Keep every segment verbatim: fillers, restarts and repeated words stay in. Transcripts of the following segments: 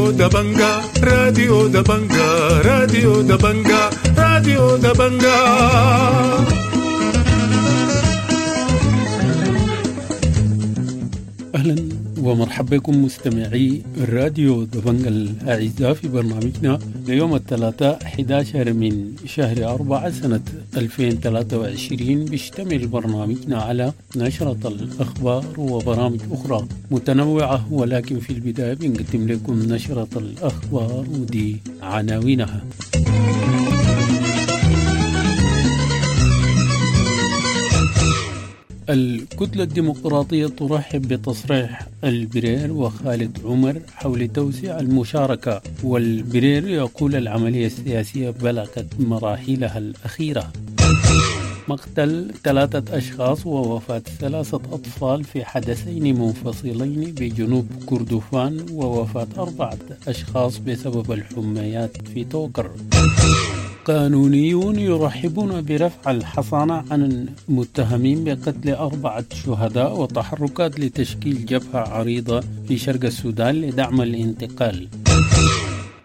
راديو دبنجا، راديو دبنجا، راديو دبنجا، راديو دبنجا. أهلا ومرحبا بكم مستمعي راديو دبنجا الأعزاء في برنامجنا ليوم الثلاثاء أحد عشر من شهر أربعة سنة ألفين وثلاثة وعشرين. بيشتمل برنامجنا على نشرة الأخبار وبرامج أخرى متنوعة، ولكن في البداية بنقدم لكم نشرة الأخبار ودي عناوينها. الكتلة الديمقراطية ترحب بتصريح البرير وخالد عمر حول توسيع المشاركة، والبرير يقول العملية السياسية بلغت مراحلها الأخيرة. مقتل ثلاثة أشخاص ووفاة ثلاثة أطفال في حدثين منفصلين بجنوب كردفان، ووفاة أربعة أشخاص بسبب الحميات في توكر. قانونيون يرحبون برفع الحصانة عن المتهمين بقتل أربعة شهداء، وتحركات لتشكيل جبهة عريضة في شرق السودان لدعم الانتقال.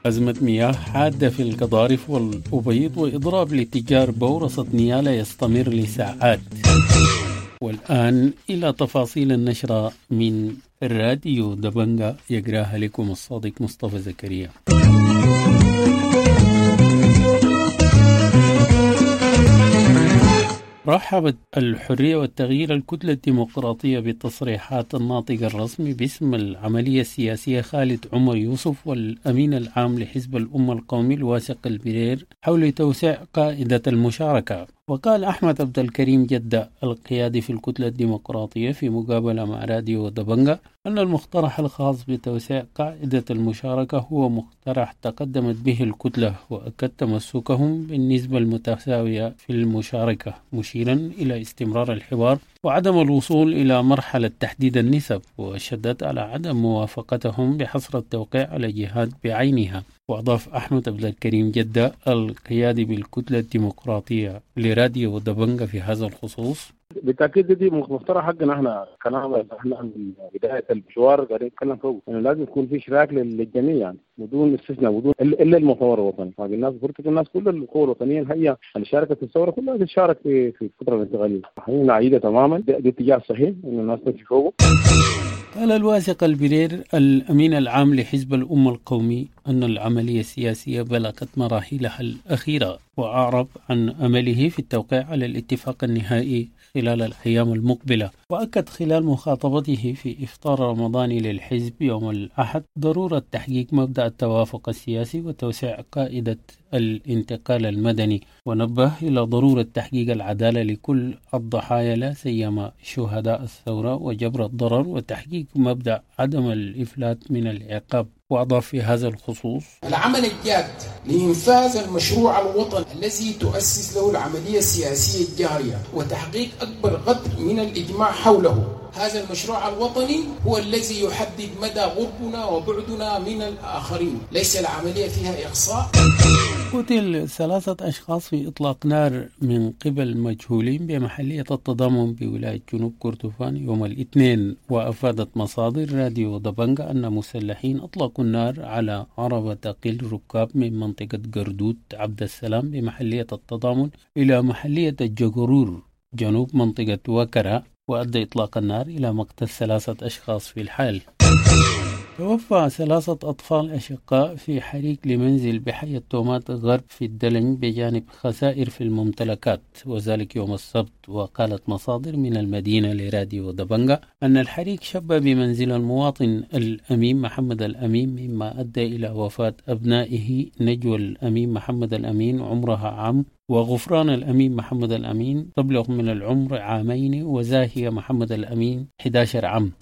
أزمة مياه حادة في القضارف والأبيض، وإضراب لتجار بورصة نيالا يستمر لساعات. والآن إلى تفاصيل النشرة من الراديو دبنجا، يقراها لكم الصادق مصطفى زكريا. رحبت الحرية والتغيير الكتلة الديمقراطية بتصريحات الناطق الرسمي باسم العملية السياسية خالد عمر يوسف والأمين العام لحزب الأمة القومي الواثق البرير حول توسيع قاعدة المشاركة. وقال أحمد عبد الكريم جدة القيادي في الكتلة الديمقراطية في مقابلة مع راديو دبنجا أن المقترح الخاص بتوسيع قاعدة المشاركة هو مقترح تقدمت به الكتلة، وأكد تمسكهم بالنسبة المتساوية في المشاركة، مشيرا إلى استمرار الحوار وعدم الوصول إلى مرحلة تحديد النسب، وشدد على عدم موافقتهم بحصر التوقيع على جهات بعينها. وأضاف أحمد عبد الكريم جدة القيادي بالكتلة الديمقراطية لراديو دبنجا في هذا الخصوص: بالتاكيد دي مقترح حقنا احنا، كلام احنا من بدايه المشوار قاعدين نتكلم فوق انه لازم يكون في اشراك للجميع، يعني بدون استثناء، بدون الا المؤتمر الوطني. باقي الناس فرصه الناس كل القوى الوطنيه هي اللي شاركت في الثوره كلها تشارك في في الفتره الانتقاليه. احنا نعيدها تماما، ده اتجاه صحيح انه الناس تمشي فوقه. قال الواثق البرير الأمين العام لحزب الأمة القومي أن العملية السياسية بلغت مراحلها الأخيرة، وأعرب عن أمله في التوقيع على الاتفاق النهائي خلال الأيام المقبلة. وأكد خلال مخاطبته في إفطار رمضاني للحزب يوم الأحد ضرورة تحقيق مبدأ التوافق السياسي وتوسيع قاعدة الانتقال المدني، ونبه إلى ضرورة تحقيق العدالة لكل الضحايا لا سيما شهداء الثورة وجبر الضرر، وتحقيق مبدأ عدم الإفلات من العقاب. وأضاف في هذا الخصوص: العمل الجاد لإنفاذ المشروع الوطني الذي تؤسس له العملية السياسية الجارية وتحقيق أكبر قدر من الإجماع حوله. هذا المشروع الوطني هو الذي يحدد مدى غربنا وبعدنا من الآخرين، ليس العملية فيها إقصاء. قتل ثلاثة أشخاص في إطلاق نار من قبل مجهولين بمحلية التضامن بولاية جنوب كردفان يوم الاثنين. وأفادت مصادر راديو دبنجا أن مسلحين أطلقوا النار على عربة تقل ركاب من منطقة قردود عبد السلام بمحلية التضامن إلى محلية الجغرور جنوب منطقة وكرة، وأدى إطلاق النار إلى مقتل ثلاثة أشخاص في الحال. توفى ثلاثة أطفال أشقاء في حريق لمنزل بحي التومات غرب في الدلنج بجانب خسائر في الممتلكات، وذلك يوم السبت. وقالت مصادر من المدينة لراديو دبنجا أن الحريق شب بمنزل المواطن الأمين محمد الأمين، مما أدى إلى وفاة أبنائه نجوى الأمين محمد الأمين عمرها عام، وغفران الأمين محمد الأمين تبلغ من العمر عامين، وزاهية محمد الأمين أحد عشر عام.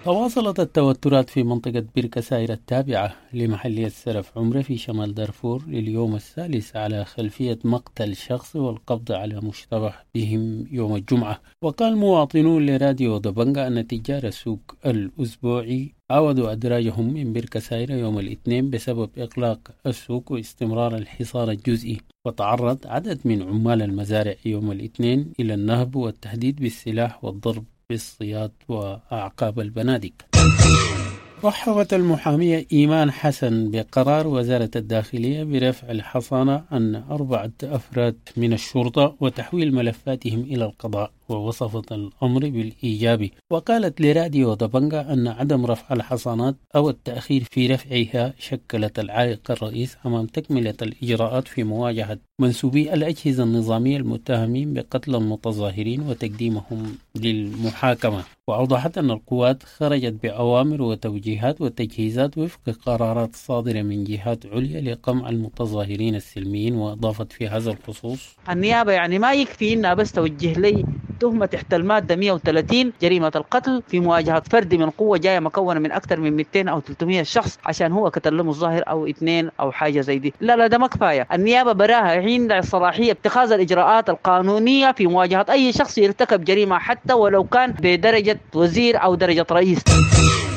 تواصلت التوترات في منطقة بركة سايرة التابعة لمحلية سرف عمرة في شمال دارفور لليوم الثالث على خلفية مقتل شخص والقبض على مشتبه بهم يوم الجمعة. وقال مواطنون لراديو دبنجا أن تجار السوق الأسبوعي عودوا أدراجهم من بركة سايرة يوم الاثنين بسبب إغلاق السوق واستمرار الحصار الجزئي. وتعرض عدد من عمال المزارع يوم الاثنين إلى النهب والتهديد بالسلاح والضرب بالصياد وأعقاب البنادق. رحبت المحامية إيمان حسن بقرار وزارة الداخلية برفع الحصانة عن أربعة أفراد من الشرطة وتحويل ملفاتهم إلى القضاء، ووصفت الأمر بالإيجابي. وقالت لراديو دبنجا أن عدم رفع الحصانات أو التأخير في رفعها شكلت العائق الرئيس أمام تكملة الإجراءات في مواجهة منسوبي الأجهزة النظامية المتهمين بقتل المتظاهرين وتقديمهم للمحاكمة. وأوضحت أن القوات خرجت بأوامر وتوجيهات وتجهيزات وفق قرارات صادرة من جهات عليا لقمع المتظاهرين السلميين. وأضافت في هذا الخصوص: النيابة يعني ما يكفي إنها بس توجه لي تهمة تحت المادة مئة وثلاثين جريمة القتل في مواجهة فرد من قوة جاية مكونة من أكثر من مئتين أو ثلاثمئة شخص عشان هو قتل متظاهر أو اثنين أو حاجة زي دي. لا لا ده ما كفاية. النيابة براها عندها الصلاحية اتخاذ الإجراءات القانونية في مواجهة أي شخص يرتكب جريمة حتى ولو كان بدرجة وزير أو درجة رئيس.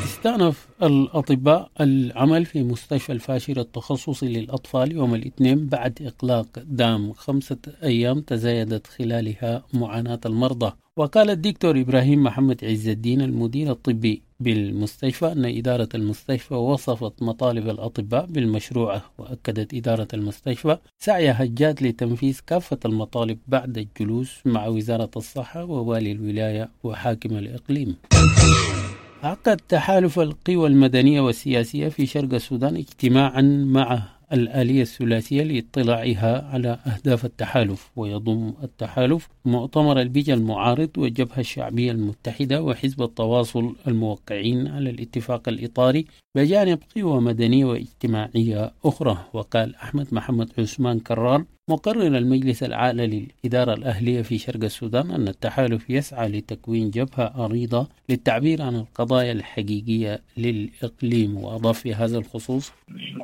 استأنف الأطباء العمل في مستشفى الفاشر التخصصي للأطفال يوم الاثنين بعد إغلاق دام خمسة أيام تزايدت خلالها معاناة المرضى. وقال الدكتور إبراهيم محمد عز الدين المدير الطبي بالمستشفى أن إدارة المستشفى وصفت مطالب الأطباء بالمشروعة، وأكدت إدارة المستشفى سعيها الجاد لتنفيذ كافة المطالب بعد الجلوس مع وزارة الصحة ووالي الولاية وحاكم الإقليم. عقد تحالف القوى المدنية والسياسية في شرق السودان اجتماعا مع الآلية الثلاثية لاطلاعها على أهداف التحالف، ويضم التحالف مؤتمر البيجا المعارض والجبهة الشعبية المتحدة وحزب التواصل الموقعين على الاتفاق الإطاري بجانب قوى مدنية واجتماعية أخرى. وقال أحمد محمد عثمان كرار مقرر المجلس الأعلى للإدارة الأهلية في شرق السودان أن التحالف يسعى لتكوين جبهة عريضة للتعبير عن القضايا الحقيقية للإقليم. وأضاف في هذا الخصوص: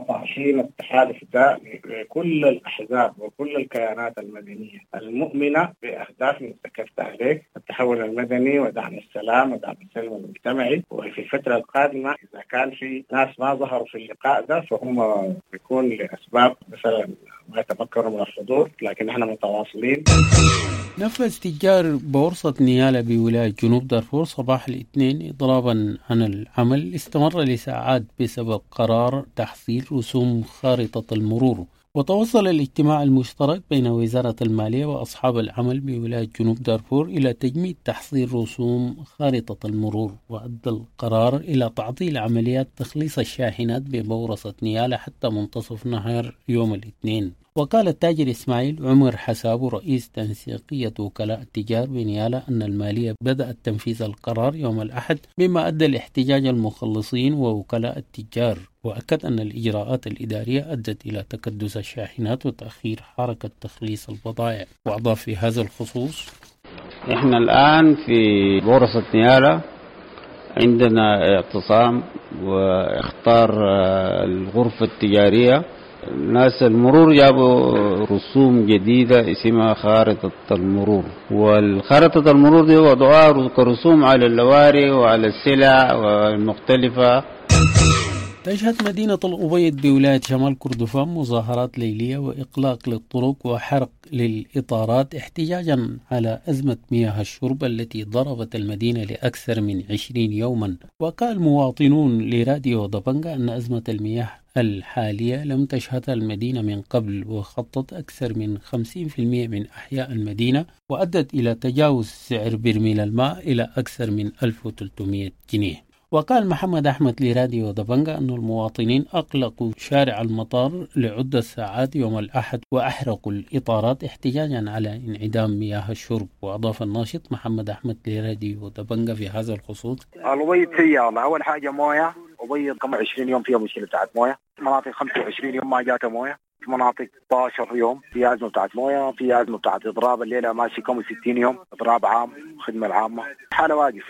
طرحين التحالف ده لكل الأحزاب وكل الكيانات المدنية المؤمنة بأهداف ذكرت عليك، التحول المدني ودعم السلام ودعم السلم المجتمعي. وفي الفترة القادمة إذا كان في ناس ما ظهروا في اللقاء ده فهم بيكون لأسباب مثلا ما يتمكنوا من الحضور، لكن احنا متواصلين. نفذ تجار بورصة نيالا بولاية جنوب دارفور صباح الاثنين إضرابا عن العمل استمر لساعات بسبب قرار تحصيل رسوم خارطة المرور. وتوصل الاجتماع المشترك بين وزارة المالية وأصحاب العمل بولاية جنوب دارفور إلى تجميد تحصيل رسوم خارطة المرور، وأدى القرار إلى تعطيل عمليات تخليص الشاحنات ببورصة نيالا حتى منتصف نهار يوم الاثنين. وقال التاجر إسماعيل عمر حساب رئيس تنسيقية وكلاء التجار بنيالا أن المالية بدأت تنفيذ القرار يوم الأحد، مما أدى لاحتجاج المخلصين ووكلاء التجار. وأكد أن الإجراءات الإدارية أدت إلى تكدس الشاحنات وتأخير حركة تخليص البضائع. وأضاف في هذا الخصوص: إحنا الآن في بورصة نيالا عندنا اعتصام واختار الغرفة التجارية. ناس المرور جابوا رسوم جديدة اسمها خارطة المرور، والخارطة المرور دي وضعوها كرسوم على اللواري وعلى السلع المختلفة. تشهد مدينة الأبيض بولاية شمال كردفان مظاهرات ليلية وإقلاق للطرق وحرق للإطارات احتجاجا على أزمة مياه الشرب التي ضربت المدينة لأكثر من عشرين يوما. وقال مواطنون لراديو دبنجا أن أزمة المياه الحالية لم تشهدها المدينة من قبل، وخطت أكثر من خمسين بالمئة من أحياء المدينة، وأدت إلى تجاوز سعر برميل الماء إلى أكثر من ألف وثلاثمئة جنيه. وقال محمد أحمد لراديو دبنجا أن المواطنين أقلقوا شارع المطار لعدة ساعات يوم الأحد وأحرقوا الإطارات احتجاجا على انعدام مياه الشرب. وأضاف الناشط محمد أحمد لراديو دبنجا في هذا الخصوص: الأبيض سيئة والله. أول حاجة موية، أبيض كم عشرين يوم فيها مشكلة بتاعت موية، مناطق خمسة وعشرين يوم ما جاتها موية، في مناطق ستة عشر يوم في أزمة بتاعت موية، في أزمة بتاعت إضراب الليلة ماشي كم ستين يوم إضراب عام، خدمة العامة حالة واقف.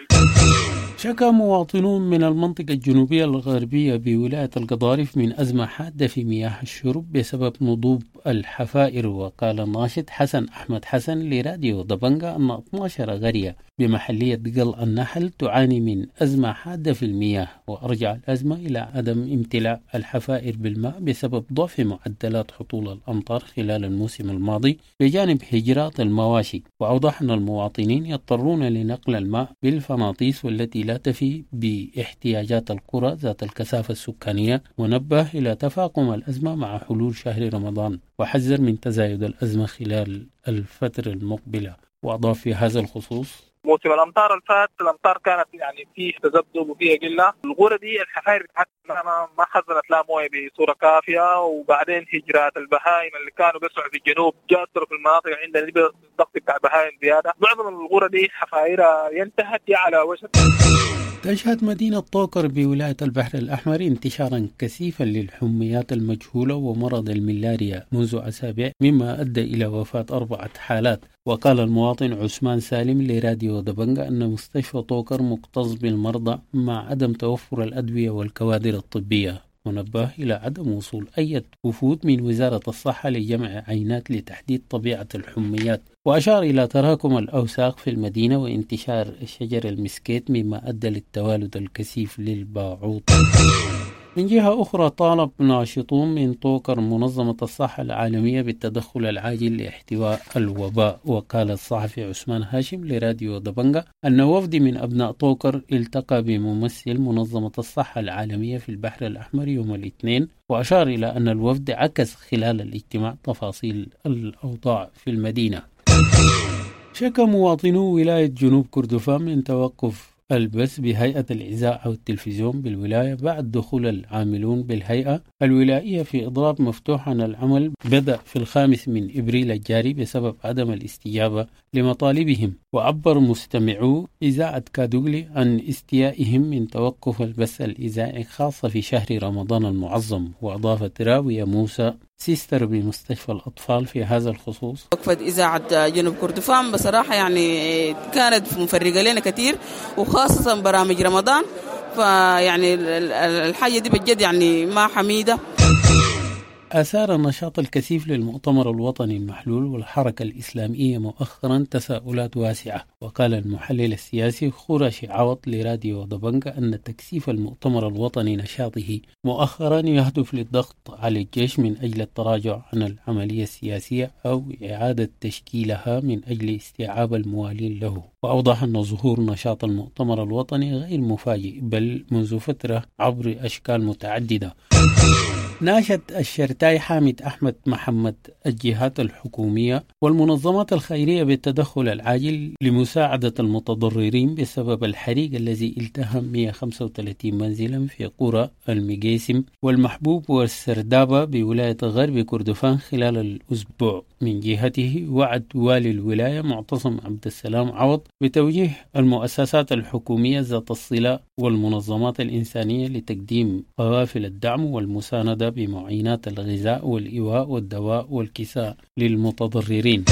شكى مواطنون من المنطقة الجنوبية الغربية بولاية القضارف من أزمة حادة في مياه الشرب بسبب نضوب الحفائر. وقال الناشط حسن أحمد حسن لراديو دبنجا أن اثنتي عشرة قرية بمحلية قل النحل تعاني من أزمة حادة في المياه، وأرجع الأزمة إلى عدم امتلاء الحفائر بالماء بسبب ضعف معدلات هطول الأمطار خلال الموسم الماضي بجانب هجرات المواشي. وأوضح أن المواطنين يضطرون لنقل الماء بالفناطيس والتي لا تفي باحتياجات القرى ذات الكثافة السكانية، ونبه إلى تفاقم الأزمة مع حلول شهر رمضان، وحذر من تزايد الأزمة خلال الفترة المقبلة. وأضاف في هذا الخصوص: موسم الامطار الفات الامطار كانت يعني فيه تذبذب وفيها قلة، الغرة دي الحفاير بتاعتها ما ما خزنت لا مويه بصورة كافيه، وبعدين هجرات البهائم اللي كانوا بيسعوا في الجنوب جاسروا في المناطق عندنا الضغط بتاع البهائم زيادة، معظم الغرة دي حفايرها ينتهت على وشك. تشهد مدينة طوكر بولاية البحر الأحمر انتشارا كثيفا للحميات المجهولة ومرض الملاريا منذ أسابيع، مما أدى إلى وفاة أربعة حالات. وقال المواطن عثمان سالم لراديو دبنجة أن مستشفى طوكر مكتظ بالمرضى مع عدم توفر الأدوية والكوادر الطبية، ونبه إلى عدم وصول أي وفود من وزارة الصحة لجمع عينات لتحديد طبيعة الحميات. وأشار إلى تراكم الأوساخ في المدينة وانتشار شجر المسكيت مما أدى للتوالد الكثيف للباعوض. من جهة أخرى، طالب ناشطون من طوكر منظمة الصحة العالمية بالتدخل العاجل لاحتواء الوباء. وقال الصحفي عثمان هاشم لراديو دبنجة أن وفد من أبناء طوكر التقى بممثل منظمة الصحة العالمية في البحر الأحمر يوم الاثنين، وأشار إلى أن الوفد عكس خلال الاجتماع تفاصيل الأوضاع في المدينة. شكى مواطنو ولاية جنوب كردفان من توقف البث بهيئة الإذاعة والتلفزيون بالولاية بعد دخول العاملون بالهيئة الولائية في إضراب مفتوح عن العمل بدأ في الخامس من إبريل الجاري بسبب عدم الاستجابة لمطالبهم. وعبر مستمعو إذاعة كادوغلي عن استيائهم من توقف البث الإذاعي خاصة في شهر رمضان المعظم. وأضافت راوية موسى سيستر بمستشفى الأطفال في هذا الخصوص: وقفة إذاعة جنوب كردفان بصراحة يعني كانت مفرقة لنا كثير، وخاصة برامج رمضان، فيعني الحاجة دي بجد يعني ما حميدة. أثار النشاط الكثيف للمؤتمر الوطني المحلول والحركة الإسلامية مؤخرا تساؤلات واسعة. وقال المحلل السياسي خرشي عوض لراديو دبنجة أن تكثيف المؤتمر الوطني نشاطه مؤخرا يهدف للضغط على الجيش من أجل التراجع عن العملية السياسية أو إعادة تشكيلها من أجل استيعاب الموالين له. وأوضح أن ظهور نشاط المؤتمر الوطني غير مفاجئ بل منذ فترة عبر أشكال متعددة. ناشد الشرتاي حامد أحمد محمد الجهات الحكومية والمنظمات الخيرية بالتدخل العاجل لمساعدة المتضررين بسبب الحريق الذي التهم مئة وخمسة وثلاثين منزلا في قرى المجيسم والمحبوب والسردابة بولاية غرب كردفان خلال الأسبوع. من جهته وعد والي الولاية معتصم عبد السلام عوض بتوجيه المؤسسات الحكومية ذات الصلة والمنظمات الإنسانية لتقديم قوافل الدعم والمساندة بمعينات الغذاء والإيواء والدواء والكساء للمتضررين.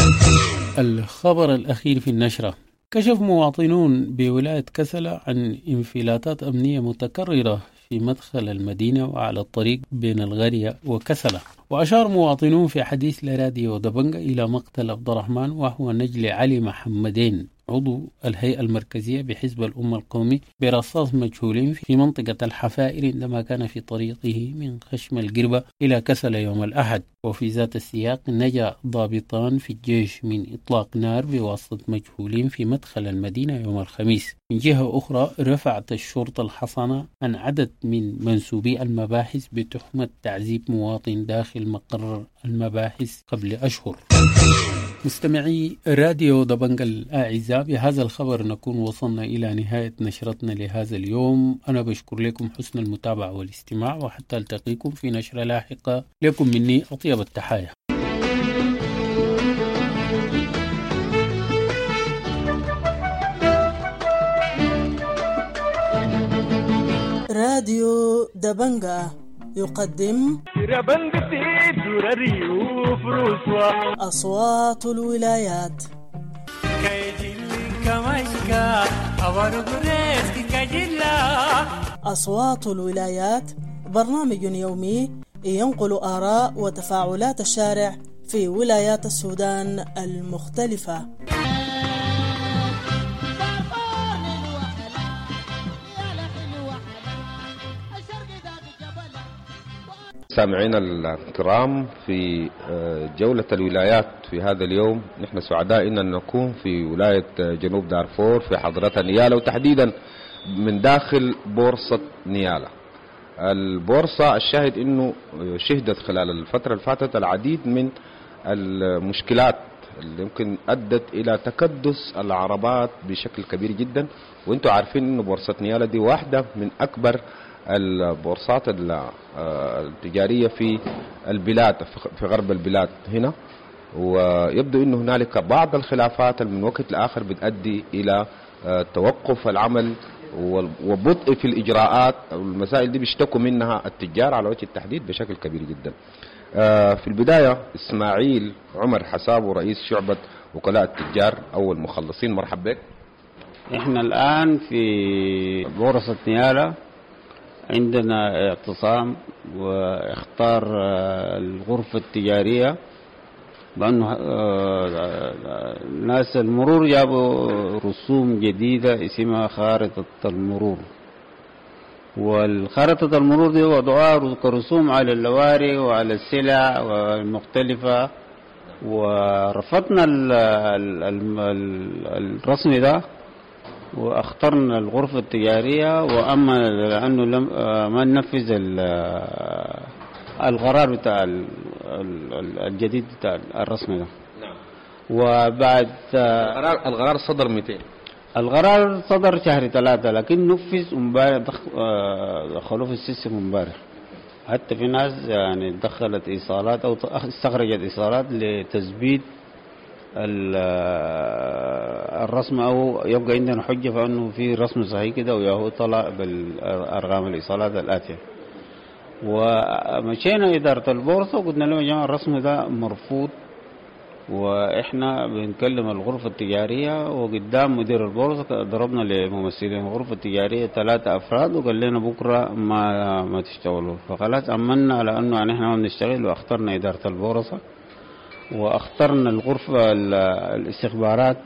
الخبر الأخير في النشرة: كشف مواطنون بولاية كسلة عن انفلاتات أمنية متكررة في مدخل المدينة وعلى الطريق بين الغرية وكسلة. وأشار مواطنون في حديث لراديو دبنجة إلى مقتل عبد الرحمن وهو نجل علي محمدين عضو الهيئة المركزية بحزب الأمة القومي برصاص مجهولين في منطقة الحفائر عندما كان في طريقه من خشم القربة إلى كسلة يوم الأحد. وفي ذات السياق نجا ضابطان في الجيش من إطلاق نار بواسطة مجهولين في مدخل المدينة يوم الخميس. من جهة أخرى رفعت الشرطة الحصانة عن عدد من منسوبي المباحث بتهمة تعذيب مواطن داخل مقر المباحث قبل أشهر. مستمعي راديو دبنجة الأعزاء، بهذا الخبر نكون وصلنا إلى نهاية نشرتنا لهذا اليوم. أنا بشكر لكم حسن المتابعة والاستماع، وحتى ألتقيكم في نشرة لاحقة. لكم مني أطيب التحايا. راديو دبنجة يقدم أصوات الولايات. أصوات الولايات برنامج يومي ينقل آراء وتفاعلات الشارع في ولايات السودان المختلفة. سامعينا الكرام في جولة الولايات في هذا اليوم، نحن سعداء أن نكون في ولاية جنوب دارفور في حضرة نيالا، وتحديدا من داخل بورصة نيالا. البورصة الشاهد أنه شهدت خلال الفترة اللي فاتت العديد من المشكلات اللي يمكن أدت إلى تكدس العربات بشكل كبير جدا، وانتم عارفين أنه بورصة نيالا دي واحدة من أكبر البورصات التجارية في البلاد، في غرب البلاد هنا، ويبدو أنه هنالك بعض الخلافات من وقت لآخر بتؤدي إلى توقف العمل وبطء في الإجراءات. المسائل دي بيشتكوا منها التجار على وجه التحديد بشكل كبير جدا. في البداية إسماعيل عمر حسابه رئيس شعبة وكلاء التجار أو المخلصين، مرحبا بك. إحنا الآن في بورصة نيالا عندنا اعتصام واختار الغرفة التجارية بأنه ناس المرور جابوا رسوم جديدة اسمها خارطة المرور، والخارطة المرور دي وضعوها كرسوم على اللواري وعلى السلع المختلفة، ورفضنا الرسم ده واخترنا الغرفة التجارية، وأما لأنه لم ما ننفذ القرار بتاع الجديد بتاع الرسم ده. نعم. وبعد القرار القرار صدر مئتين. القرار صدر شهر ثلاثة، لكن نفذ امبارح، دخلوه في ال system امبارح. حتى في ناس يعني دخلت ايصالات او استخرجت ايصالات لتثبيت الرسم، او يبقى عندنا حجه فانه في رسم صحيح كده، وياهو طلع بالارقام الايصالات الاتية. ومشينا ادارة البورصة وقلنا لهم يا جماعة الرسم ده مرفوض، واحنا بنكلم الغرفة التجارية، وقدام مدير البورصة ضربنا لممثلين الغرفة التجارية ثلاثة افراد وقال لنا بكره ما ما تشتغلوا. فخلاص امنا على انه يعني احنا ما بنشتغل، واخترنا ادارة البورصة واخترنا الغرفة الاستخبارات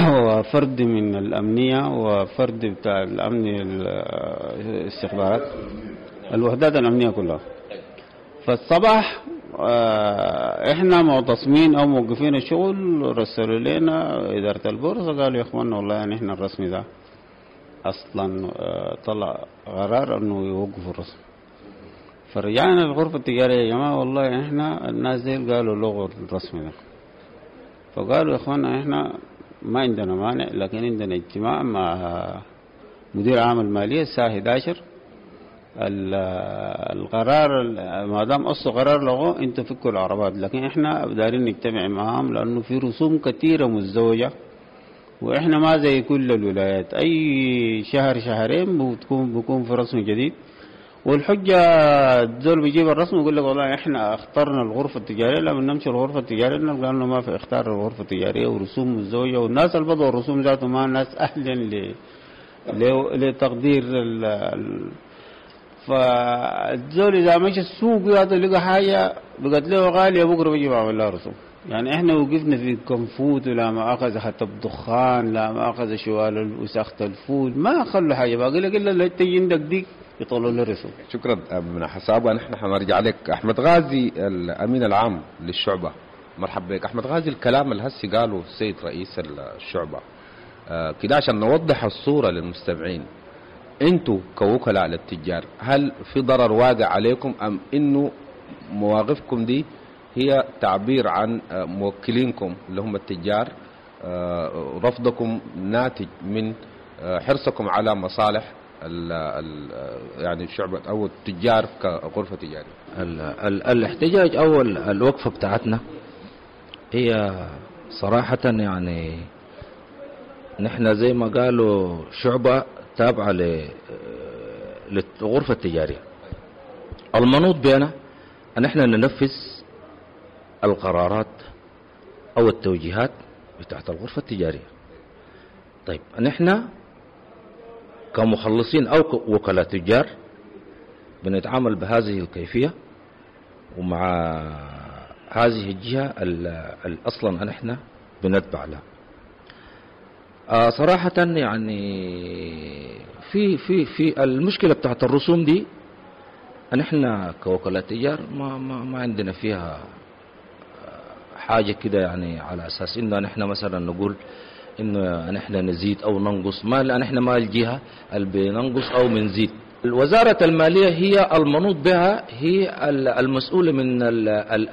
وفرد من الامنية وفرد بتاع الامن الاستخبارات، الوحدات الامنية كلها. فالصباح احنا معتصمين او موقفين الشغل، رسلوا لنا ادارة البورصة قالوا يا اخوانا والله يعني احنا الرسم ده اصلا طلع قرار انه يوقفوا الرسم. فرجعنا الغرفة التجارية يا جماعة والله احنا الناس دي قالوا لغوا الرسم ده. فقالوا يا اخوانا احنا ما عندنا مانع، لكن عندنا اجتماع مع مدير عام المالية الساعة احد عشر. القرار ما دام اصله قرار لغوه انتوا فكوا العربات، لكن احنا دارين نجتمع معاهم لانه في رسوم كثيرة مزدوجة، واحنا ما زي كل الولايات اي شهر شهرين بتكون بيكون في رسم جديد. والحجة الزول بيجيب الرسم ويقول لك والله احنا اخترنا الغرفة التجارية، لما نمشي الغرفة التجارية نلقى انه ما في اختار الغرفة التجارية ورسوم مزدوجة، والناس اللي بدوا الرسوم ذاته ما ناس اهلا لتقدير ال. فالزول اذا مشى السوق هذا لقى حاجة بقت له غالية بكره بيجي بعمل لها رسوم. يعني احنا وقفنا في كنفوت ولا مؤاخذة حتى بدخان، لا مؤاخذة شوال وساخة الفول، ما خلوا حاجة باقي لك الا اللي تجي عندك ديك يطلعوا له رسوم. شكرا من حسابه. نحن حنرجع لك احمد غازي الامين العام للشعبه، مرحبا بك احمد غازي. الكلام اللي هسي قاله السيد رئيس الشعبة آه كده عشان نوضح الصورة للمستمعين، انتوا كوكلاء للتجار هل في ضرر واقع عليكم ام انه مواقفكم دي هي تعبير عن موكلينكم اللي هم التجار، رفضكم ناتج من حرصكم على مصالح ال ال يعني الشعب او التجار كغرفه تجارية؟ ال ال الاحتجاج او الوقفة بتاعتنا هي صراحة يعني نحن زي ما قالوا شعبه تابعة للغرفة التجارية. المنوط بنا أن احنا ننفذ القرارات أو التوجيهات بتاعت الغرفة التجارية. طيب نحن كمخلصين أو وكلاء تجار بنتعامل بهذه الكيفية ومع هذه الجهة اللي أصلا نحن بنتبع لها. آه صراحة يعني في في في المشكلة بتاعت الرسوم دي نحن كوكلاء تجار ما ما ما عندنا فيها حاجة كده، يعني على أساس إنه نحن مثلا نقول انه نحن نزيد او ننقص، ما نحن ما الجهة اللي بننقص او بنزيد. وزارة المالية هي المنوط بها، هي المسؤولة من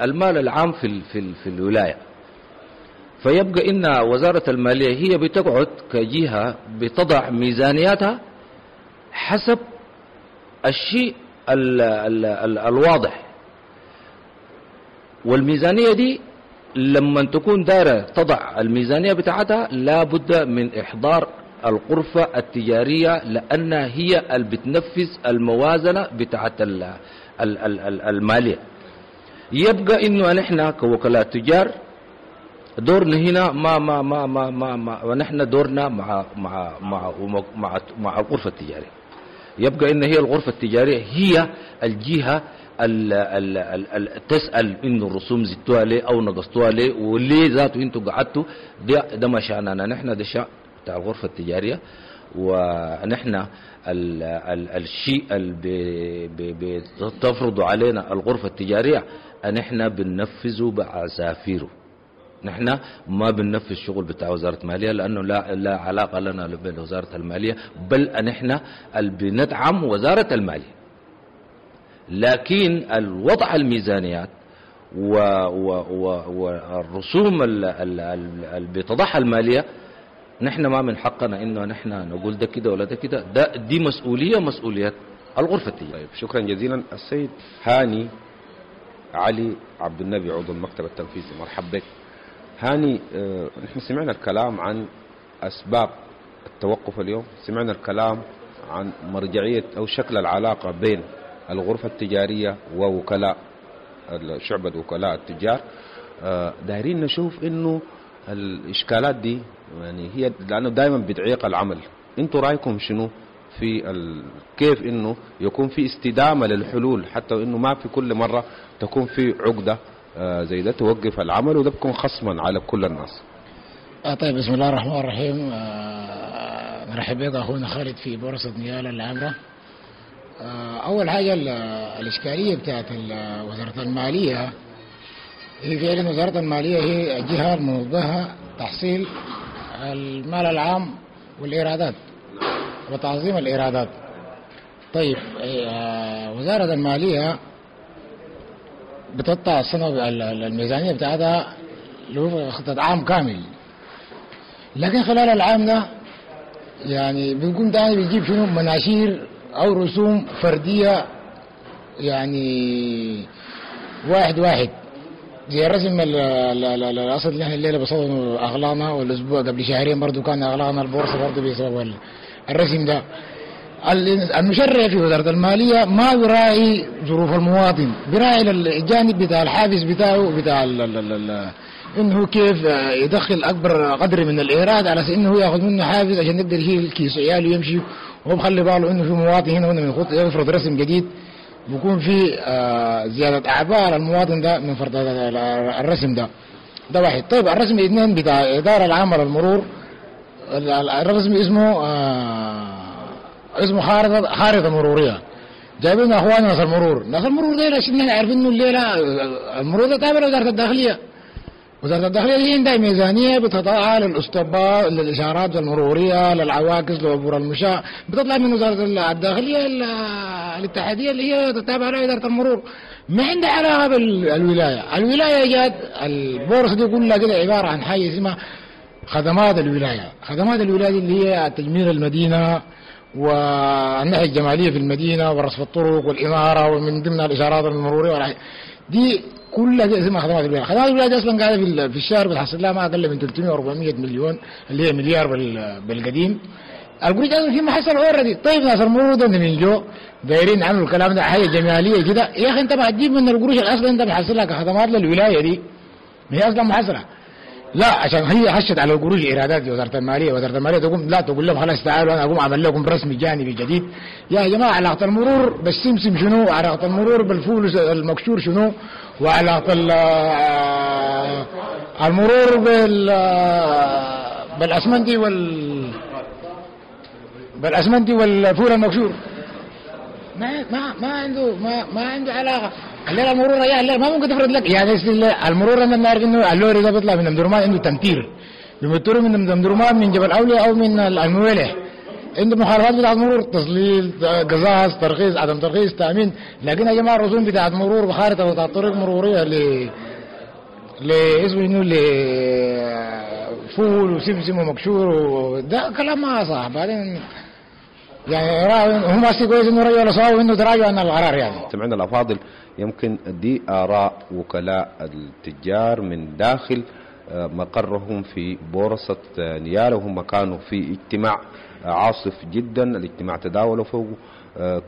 المال العام في في في الولاية. فيبقى ان وزارة المالية هي بتقعد كجهه بتضع ميزانياتها حسب الشيء ال ال ال الواضح، والميزانيه دي لما تكون دارة تضع الميزانية بتاعتها لابد من إحضار الغرفة التجارية، لأنها هي اللي بتنفذ الموازنة بتاعت ال ال ال المالية. يبقى إنه نحن كوكلاء تجار دورنا هنا ما ما ما ما ما, ما ونحن دورنا مع مع مع مع, مع الغرفة التجارية. يبقى إن هي الغرفة التجارية هي الجهة ال ال ال تسأل إنه الرسوم زدتوها ليه أو نقصتوها ليه وليه ذاته أنتوا قعدتوا. ده ده ما شأننا نحن، ده شأن بتاع الغرفة التجارية. ونحن ال ال الشيء اللي بتفرض علينا الغرفة التجارية نحن بننفذه بعسافيره. نحن ما بننفذ شغل بتاع وزارة المالية لأنه لا لا علاقة لنا بوزارة المالية، بل نحن اللي بندعم وزارة المالية. لكن الوضع الميزانيات والرسوم اللي بتضعها المالية نحن ما من حقنا انه نحن نقول ده كده ولا ده كده، ده دي مسؤولية مسؤولية الغرفة التجارية. طيب شكرا جزيلا السيد هاني علي عبد النبي عضو المكتب التنفيذي، مرحبا بك. هاني، اه نحن سمعنا الكلام عن اسباب التوقف اليوم، سمعنا الكلام عن مرجعية او شكل العلاقة بين الغرفة التجارية ووكلاء شعبة وكلاء التجار. دايرين نشوف انه الاشكالات دي يعني هي لانه دائما بتعيق العمل، انتوا رايكم شنو في ال... كيف انه يكون في استدامة للحلول حتى انه ما في كل مرة تكون في عقدة زي ده توقف العمل وده بيكون خصما على كل الناس. آه طيب بسم الله الرحمن الرحيم. آه نرحب بك اخونا خالد في بورصة نيالا العامرة. أول حاجة الإشكالية بتاعت وزارة المالية هي فعلا وزارة المالية هي الجهة المنوط تحصيل المال العام والإيرادات وتعظيم الإيرادات. طيب وزارة المالية بتقطع السنة الميزانية بتاعتها لخطة عام كامل، لكن خلال العام ده يعني بنكون تاني بيجيب شنو مناشير أو رسوم فردية، يعني واحد واحد زي الرسم الأصل اللي احنا الليلة بصدد أغلانا، والأسبوع قبل شهرين برضو كان أغلانا البورصة برضو بسبب الرسم ده. المشرع في وزارة المالية ما يراعي ظروف المواطن، بيراعي الجانب بتاع الحافز بتاعه بتاع ال ال ال انه كيف يدخل اكبر قدر من الايراد على اساس انه ياخذ منه حافز عشان يقدر يشيل كيس عياله ويمشي، وهو مخلي باله انه في مواطن هنا وهنا من خط يفرض رسم جديد بيكون في زيادة اعباء على المواطن ده من فرض الرسم ده. ده واحد. طيب الرسم اثنين بتاع الادارة العامة للمرور، الرسم اسمه اسمه خارطة خارطة مروريه. جايبين اخواننا ناس المرور، ناس المرور ديل عشان احنا عارفين انه الليلة المرور ده تابع لوزارة الداخلية. وزارة الداخلية دي عندها ميزانية بتطلع للأسطبات للإشارات المرورية للعواكس لعبور المشاة، بتطلع من وزارة الداخلية الاتحادية اللي هي تتابع لها إدارة المرور، ما عندها علاقة بالولاية. الولاية جات البورصة دي كلها كده عبارة عن حاجة اسمها خدمات الولاية، خدمات الولاية اللي هي تجميل المدينة والناحية الجمالية في المدينة ورصف الطرق والإنارة ومن ضمنها الإشارات المرورية دي كلها دي اسمها خدمات الولاية. خدمات الولاية دي اصلا قاعدة في الشهر بتحصل لها ما اقل من ثلاثمية وأربعمية مليون اللي هي مليار بالقديم. القروش اصلا في محصل already. طيب ناس المرور ده من جو دايرين عملوا الكلام ده حاجة جمالية كده، يا اخي انت ما تجيب من القروش اللي اصلا انت محصلها كخدمات للولاية دي، ما هي اصلا محصله. لا عشان هي حشت على القروش ايرادات وزارة المالية، وزارة المالية تقوم لا تقول لهم خلاص تعالوا انا اقوم اعمل لكم رسم جانبي جديد. يا جماعة علاقة المرور بالسمسم شنو؟ علاقة المرور بالفول المكشور شنو؟ وعلاقة المرور بال بالاسمنتي وال بالاسمنتي والفول المكشور ما ما ما عنده ما ما عنده علاقة. الليلة المرور يا الليلة ما ممكن تفرض لك يعني المرور انا بنعرف انه اللوري ده بيطلع من امدرمان عنده تمتير، بيمتروا من أمدرمان من جبل أولياء أو من المويلح، عنده مخالفات بتاعت مرور، تظليل، قزاز، ترخيص، عدم ترخيص، تأمين. لكن يا جماعة الرسوم بتاعت مرور بخارطة بتاعت طريق مرورية ل لاسمه شنو لفول وسمسم ومكشور، وده كلام ما صح. بعدين يعني هم أصلا كويس إنه رجعوا لصواب وإنه تراجعوا عن القرار. يعني سمعنا الأفاضل، يمكن دي آراء وكلاء التجار من داخل مقرهم في بورصة نيالا، وهم كانوا في اجتماع عاصف جدا. الاجتماع تداولوا فوق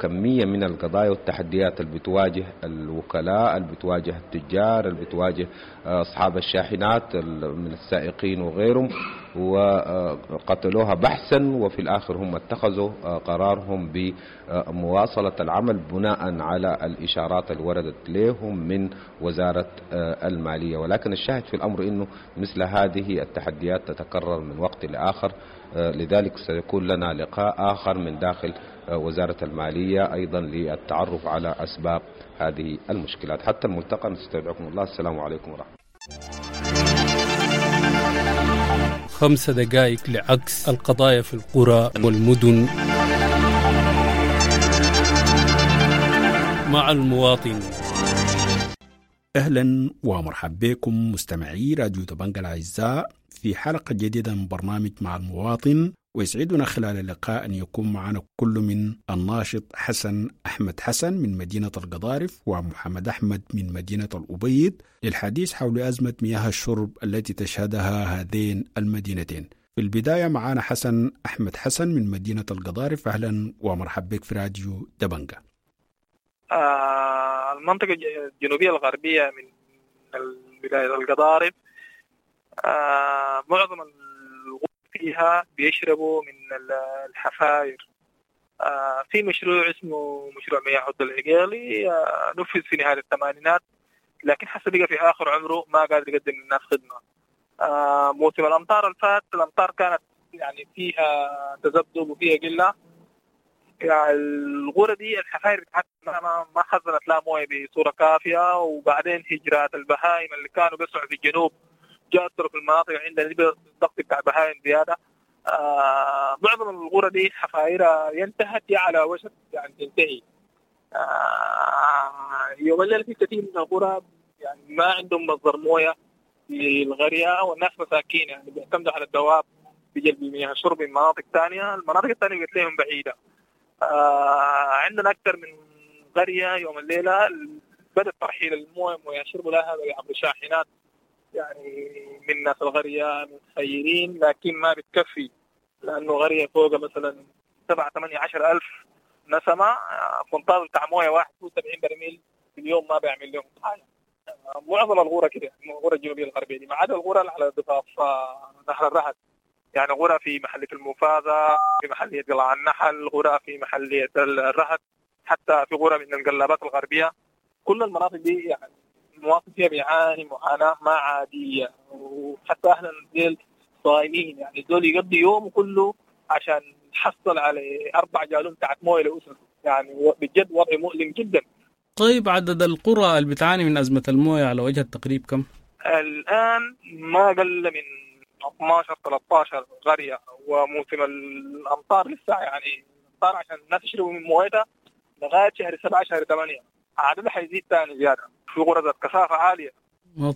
كمية من القضايا والتحديات اللي بتواجه الوكلاء، اللي بتواجه التجار، اللي بتواجه أصحاب الشاحنات من السائقين وغيرهم، وقتلوها بحثا، وفي الآخر هم اتخذوا قرارهم بمواصلة العمل بناء على الإشارات اللي وردت لهم من وزارة المالية. ولكن الشاهد في الأمر أنه مثل هذه التحديات تتكرر من وقت لآخر، لذلك سيكون لنا لقاء آخر من داخل وزارة المالية أيضا للتعرف على أسباب هذه المشكلات. حتى الملتقى نستودعكم الله، السلام عليكم ورحمة الله. خمس دقائق لعكس القضايا في القرى والمدن مع المواطن. أهلا ومرحبا بكم مستمعي راديو دبنجا الأعزاء في حلقة جديدة من برنامج مع المواطن، ويسعدنا خلال اللقاء أن يكون معنا كل من الناشط حسن أحمد حسن من مدينة القضارف ومحمد أحمد من مدينة الأبيض للحديث حول أزمة مياه الشرب التي تشهدها هذين المدينتين. في البداية معنا حسن أحمد حسن من مدينة القضارف، أهلا ومرحبا بك في راديو دبنجا. آه المنطقة الجنوبية الغربية من ولاية القضارف آه معظم فيها بيشربوا من الحفاير. آه في مشروع اسمه مشروع مياه عبد العقيلي آه نفذ في نهاية الثمانينات، لكن حسب بقى في آخر عمره ما قادر يقدم للناس خدمة. آه موسم الأمطار الفات الأمطار كانت يعني فيها تذبذب وفيها قلة، يعني الغرة دي الحفاير ما ما خزنت لا مويه بصورة كافية، وبعدين هجرات البهائم اللي كانوا بيسعوا في الجنوب جاءت في المناطق عندنا الضغط بتاع بهائم زيادة. آه معظم الغرة دي حفايرها ينتهت على وشك يعني تنتهي. آه يوم الليل في كثير من القرى يعني ما عندهم مصدر مويه للغرية، والناس مساكين يعني بيعتمدوا على الدواب بجلب مياه شرب من مناطق ثانية، المناطق الثانية قلت لهم بعيدة. آه عندنا أكثر من قرية يوم الليلة بدأ ترحيل المويه مويه شرب لها عبر شاحنات يعني من ناس الغرية من خيرين، لكن ما بتكفي لأنه غرية فوق مثلا سبعة ثمانية عشر ألف نسمة، فنطال بتاع موية واحد وسبعين برميل في اليوم ما بيعمل لهم حاجة. معظم الغرة كده، الغرة الجنوبية الغربية دي، ما عدا الغرة على ضفاف نهر الرهد، يعني غرة في محلية المفازة، في محلية قلعة النحل، غرة في محلية الرهد، حتى في غرة من القلابات الغربية. كل المناطق دي يعني المواطن فيها بيعاني معاناة ما عادية، وحتى أهل الديل صايمين، يعني دول يقضي يوم كله عشان يحصل على أربع جالون بتاعت موية لأسرته، يعني بجد وضع مؤلم جدا. طيب عدد القرى اللي بتعاني من أزمة الموية على وجه التقريب كم؟ الآن ما أقل من اثنا عشر ثلاثة عشر قرية، وموسم الأمطار لسه يعني الأمطار عشان الناس يشربوا من مويتها لغاية شهر سبعة شهر ثمانية عددها حيزيد ثاني زيادة في قرى ذات كثافة عالية.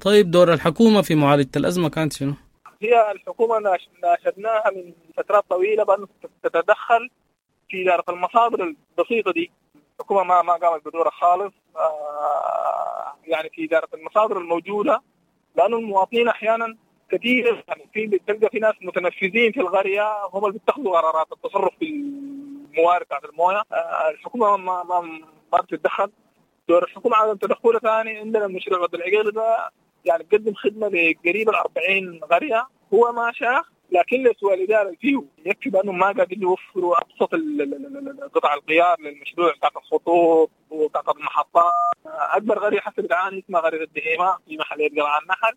طيب دور الحكومة في معالجة الأزمة كانت شنو؟ هي الحكومة ناشدناها من فترات طويلة بأن تتدخل في إدارة المصادر البسيطة دي. الحكومة ما ما قامت بدورها خالص آه يعني في إدارة المصادر الموجودة، لأنه المواطنين أحيانا كثير يعني في بتلقى في ناس متنفذين في القرية هم اللي بيتخذوا قرارات التصرف في الموارد بتاعت المويه. آه الحكومة ما ما ما بتتدخل. دور الحكومة عدم تدخلها ثاني. عندنا المشروع عبد العقيل ده يعني بيقدم خدمة لقريب الأربعين قرية، هو ما شاخ لكن لسوء الإدارة فيه يكفي بأنه ما قادرين يوفروا أبسط قطع الغيار للمشروع بتاعت الخطوط وبتاعت المحطات. أكبر قرية حسب بتعاني اسمها قرية الدهيمة في محلية قلعة النحل،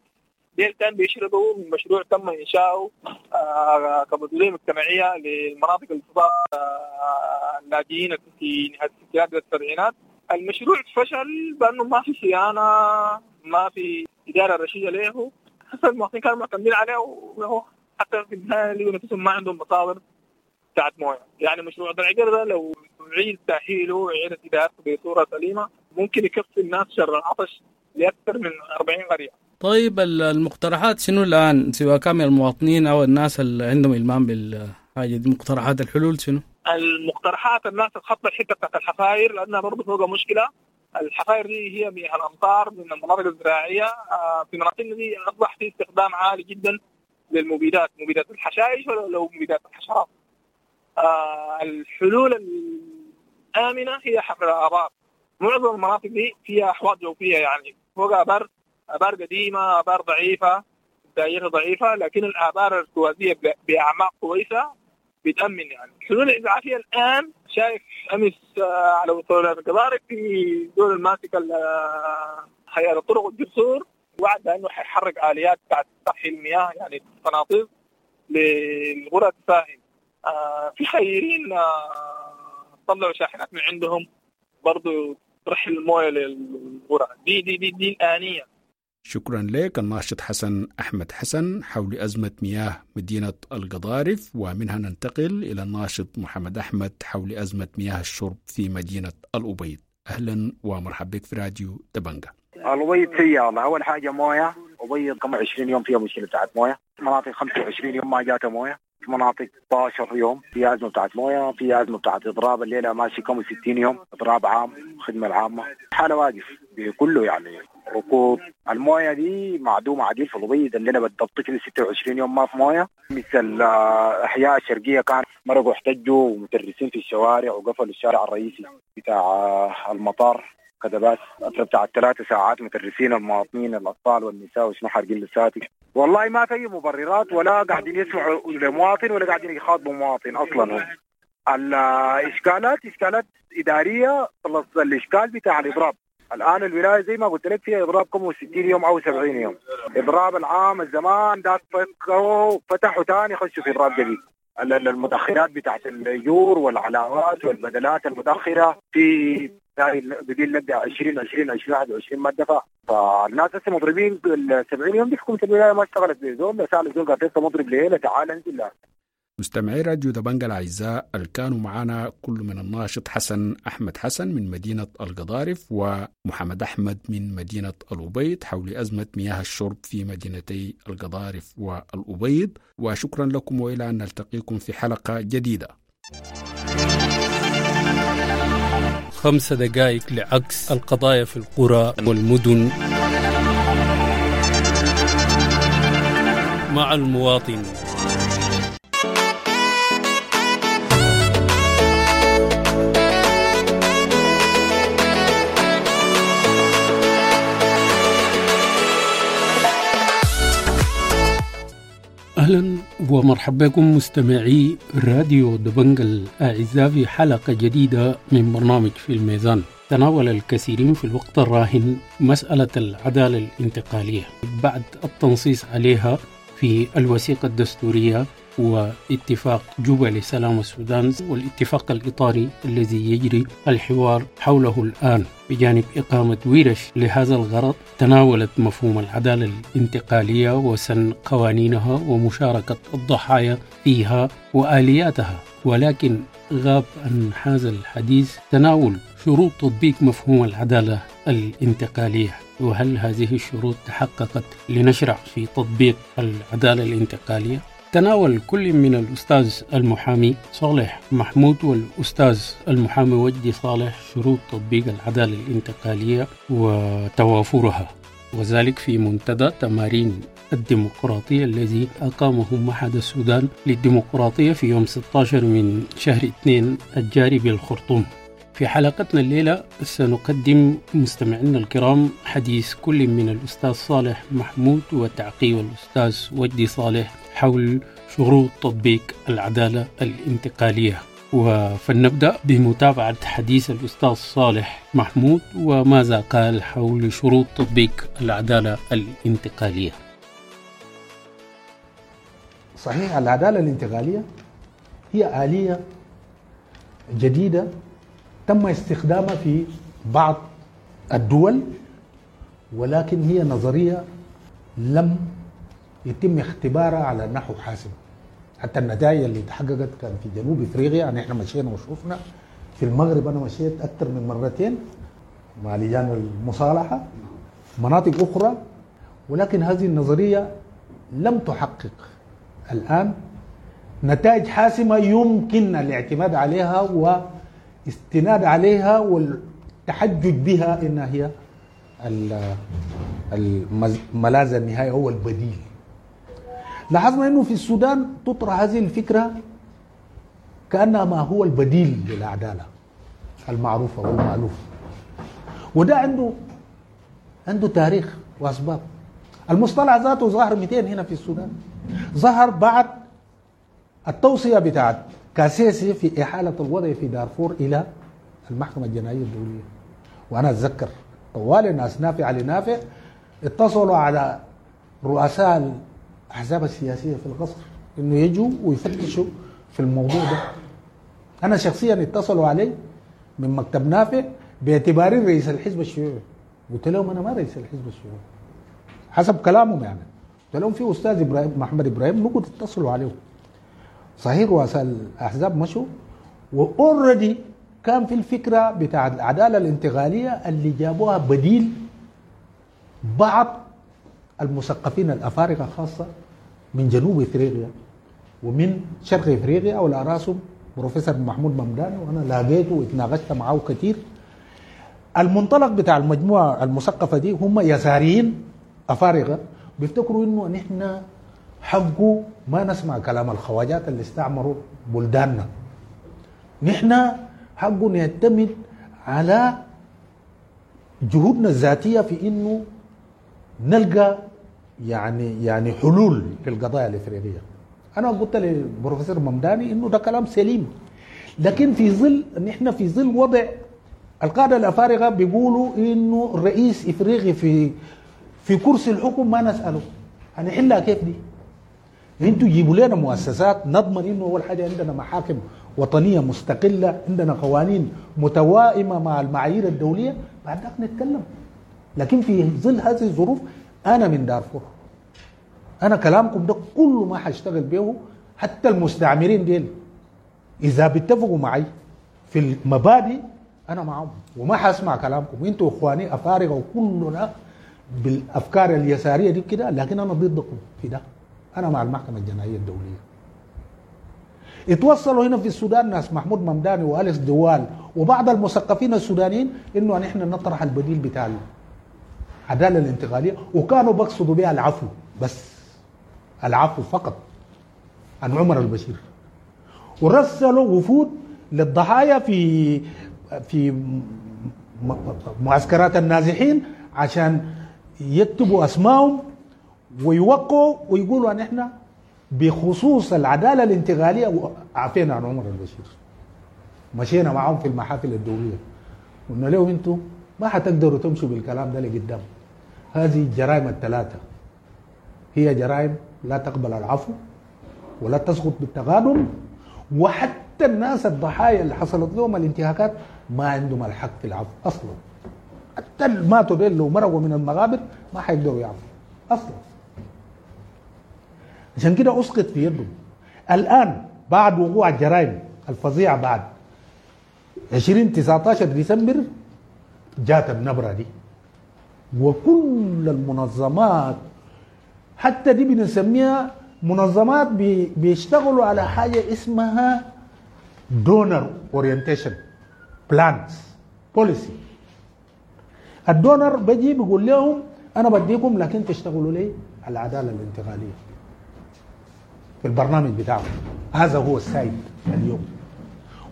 ديل كان بيشربوا من مشروع تم إنشاؤه آه كمسؤولية مجتمعية للمناطق الفضاء آه اللاجئين في نهاية الستينات والسبعينات. المشروع فشل بأنه ما في صيانة، ما في إدارة رشيدة له، حسب المواطنين كانوا معتمدين عليه وهو حتى في النهاية لقوا نفسهم ما عندهم مصادر بتاعت مويه. يعني مشروع العقر ده لو أعيد تأهيله وإعادة إدارته بصورة سليمة ممكن يكفي الناس شر العطش لأكثر من أربعين قرية. طيب المقترحات شنو الآن، سواء كان من المواطنين أو الناس اللي عندهم إلمام بالحاجة دي، مقترحات الحلول شنو؟ المقترحات الناس تخطط الحتة بتاعت الحفاير، لأنها برضه فوقها مشكلة. الحفاير دي هي مياه الأمطار من المناطق الزراعية. في مناطقنا دي أصبح في استخدام عالي جدا للمبيدات، مبيدات الحشائش ولا مبيدات الحشرات. الحلول الآمنة هي حفر الآبار. معظم المناطق دي فيها أحواض جوفية، يعني فوق آبار، آبار قديمة، آبار ضعيفة، دائرة ضعيفة، لكن الآبار الارتوازية بأعماق كويسة بتأمن. يعني حلول الإسعافية الآن شايف أمس على وصول القضارف في دول الماسكة هيئة الطرق والجسور وعد بأنه حيحرك آليات بتاعت ترحيل المياه، يعني قناطير للغرة تساهم. آه في خيرين آه طلعوا شاحنات من عندهم برضو ترحل المويه للغرة دي دي دي, دي الآنية. شكرا لك الناشط حسن أحمد حسن حول أزمة مياه مدينة القضارف، ومنها ننتقل إلى الناشط محمد أحمد حول أزمة مياه الشرب في مدينة الأبيض. أهلا ومرحبا بك في راديو دبنجة. الأبيض سيئة والله. أول حاجة موية، أبيض كم عشرين يوم فيها مشكلة بتاعت موية، مناطق خمسة وعشرين يوم ما جاتها موية، في مناطق ستاشر يوم في أزمة بتاعت موية، في أزمة بتاعت إضراب الليلة ماشي كم ستين يوم إضراب عام خدمة العامة، حالة واقف بكله يعني ركود. الموية دي معدومة عديل في الأبيض الليلة بالضبط كده ستة وعشرين يوم ما في موية. مثل الأحياء الشرقية كان مرقوا احتجوا ومترسين في الشوارع وقفلوا الشارع الرئيسي بتاع المطار كده، بس فترة بتاع ثلاثة ساعات مترسين المواطنين الأطفال والنساء وشنو حارقين لساتك. والله ما في مبررات ولا قاعدين يسمعوا لمواطن ولا قاعدين يخاطبوا مواطن أصلا. هم الإشكالات إشكالات إدارية. خلص الإشكال بتاع الإضراب الآن الولاية زي ما قلت لك فيها إضراب كم ستين يوم أو سبعين يوم. إضراب العام الزمان ده فتحوا تاني خشوا في إضراب جديد. المتأخرات بتاعت الأجور والعلاوات والبدلات المتأخرة في بديل نبدأ عشرين عشرين عشرين واحد وعشرين ما دفع. فالناس هسه مضربين ال سبعين يوم دي. حكومة الولاية ما اشتغلت بزول، سأل الزول قال انت مضرب ليه؟ تعال انزل. لا. مستمعي راديو دبنجة الأعزاء اللي كانوا معنا كل من الناشط حسن أحمد حسن من مدينة القضارف ومحمد أحمد من مدينة الأبيض حول أزمة مياه الشرب في مدينتي القضارف والأبيض، وشكرا لكم وإلى أن نلتقيكم في حلقة جديدة. خمس دقائق لعكس القضايا في القرى والمدن مع المواطن. أهلا ومرحبا بكم مستمعي راديو دبنجة الأعزاء في حلقة جديدة من برنامج في الميزان. تناول الكثيرين في الوقت الراهن مسألة العدالة الانتقالية بعد التنصيص عليها في الوثيقة الدستورية واتفاق جوبا لسلام السودان والاتفاق الإطاري الذي يجري الحوار حوله الآن. بجانب إقامة ورش لهذا الغرض تناولت مفهوم العدالة الانتقالية وسن قوانينها ومشاركة الضحايا فيها وآلياتها، ولكن غاب عن هذا الحديث تناول شروط تطبيق مفهوم العدالة الانتقالية، وهل هذه الشروط تحققت لنشرع في تطبيق العدالة الانتقالية؟ تناول كل من الأستاذ المحامي صالح محمود والأستاذ المحامي وجدي صالح شروط تطبيق العدالة الانتقالية وتوافرها، وذلك في منتدى تمارين الديمقراطية الذي أقامه معهد السودان للديمقراطية في يوم ستة عشر من شهر اثنين الجاري بالخرطوم. في حلقتنا الليلة سنقدم مستمعينا الكرام حديث كل من الأستاذ صالح محمود وتعقيب الأستاذ وجدي صالح حول شروط تطبيق العدالة الانتقالية. فلنبدأ بمتابعة حديث الأستاذ صالح محمود وماذا قال حول شروط تطبيق العدالة الانتقالية. صحيح، العدالة الانتقالية هي آلية جديدة تم استخدامها في بعض الدول، ولكن هي نظرية لم يتم اختبارها على نحو حاسم. حتى النتائج اللي تحققت كان في جنوب افريقيا، يعني احنا مشينا وشوفنا في المغرب، انا مشيت اكثر من مرتين مع لجان المصالحة، مناطق اخرى، ولكن هذه النظرية لم تحقق الان نتائج حاسمة يمكن الاعتماد عليها واستناد عليها والتحجج بها انها هي الملاذ النهائي هو البديل. لاحظنا انه في السودان تطرح هذه الفكرة كانها ما هو البديل للعدالة المعروفة والمألوفه، وده عنده عنده تاريخ واسباب. المصطلح ذاته ظهر مئتين هنا في السودان، ظهر بعد التوصية بتاعت كاسيسي في احالة الوضع في دارفور الى المحكمة الجنائية الدولية. وانا اتذكر طوال الناس نافع علي نافع اتصلوا على رؤساء الاحزاب السياسية في القصر انه يجوا ويفتشوا في الموضوع ده. انا شخصيا اتصلوا علي من مكتب نافع باعتباري رئيس الحزب الشيوعي، قلت لهم انا ما رئيس الحزب الشيوعي حسب كلامهم يعني. قلت لهم في استاذ ابراهيم محمد ابراهيم ممكن تتصلوا عليه. صحيح رؤساء الاحزاب مشوا، واوريدي كان في الفكرة بتاع العدالة الانتقالية اللي جابوها بديل بعض المثقفين الافارقة خاصة من جنوب افريقيا ومن شرق افريقيا، وعلى راسهم بروفيسور محمود ممدان، وانا لاقيته واتناقشت معه كثير. المنطلق بتاع المجموعة المثقفه دي هم يساريين افارقه بيفتكروا انه نحن حقه ما نسمع كلام الخواجات اللي استعمروا بلداننا، نحن حقه نعتمد على جهودنا الذاتية في انه نلقى يعني يعني حلول للقضايا الافريقية. انا قلت للبروفيسور ممداني انه ده كلام سليم، لكن في ظل نحن في ظل وضع القادة الافارقة بيقولوا انه الرئيس افريقي في في كرسي الحكم ما نساله هنحلها كيف دي؟ انتوا جيبوا لنا مؤسسات نضمن انه اول حاجة عندنا محاكم وطنية مستقلة، عندنا قوانين متوائمه مع المعايير الدولية، بعد ذاك نتكلم. لكن في ظل هذه الظروف انا من دارفور، انا كلامكم ده كله ما حاشتغل به، حتى المستعمرين ديل اذا بيتفقوا معي في المبادئ انا معهم وما حاسمع كلامكم، انتوا اخواني افارقه وكلنا بالافكار اليسارية دي كده، لكن انا ضدكم في ده، انا مع المحكمة الجنائية الدولية. اتوصلوا هنا في السودان ناس محمود ممداني واليس دوال وبعض المثقفين السودانيين انه نحن نطرح البديل بتاع العدالة الانتقالية، وكانوا بقصدوا بها العفو بس، العفو فقط عن عمر البشير، ورسلوا وفود للضحايا في في معسكرات النازحين عشان يكتبوا اسمائهم ويوقعوا ويقولوا ان احنا بخصوص العدالة الانتقالية عافينا عن عمر البشير. مشينا معاهم في المحافل الدولية قلنا لهم انتم ما حتقدروا تمشوا بالكلام ده لقدام، هذه الجرائم الثلاثة هي جرائم لا تقبل العفو ولا تسقط بالتقادم، وحتى الناس الضحايا اللي حصلت لهم الانتهاكات ما عندهم الحق في العفو اصلا، حتى اللي ماتوا ديل لو مرقوا من المقابر ما حيقدروا يعفوا اصلا. عشان كده اسقط في يدهم. الان بعد وقوع الجرائم الفظيعة بعد عشرين تسعة عشر ديسمبر جات النبرة دي، وكل المنظمات حتى دي بنسميها منظمات بي بيشتغلوا على حاجة اسمها donor orientation plans policy. ال donor بيجي بيقول لهم انا بديكم لكن تشتغلوا لي على العدالة الانتقالية في البرنامج بتاعهم. هذا هو السائد اليوم،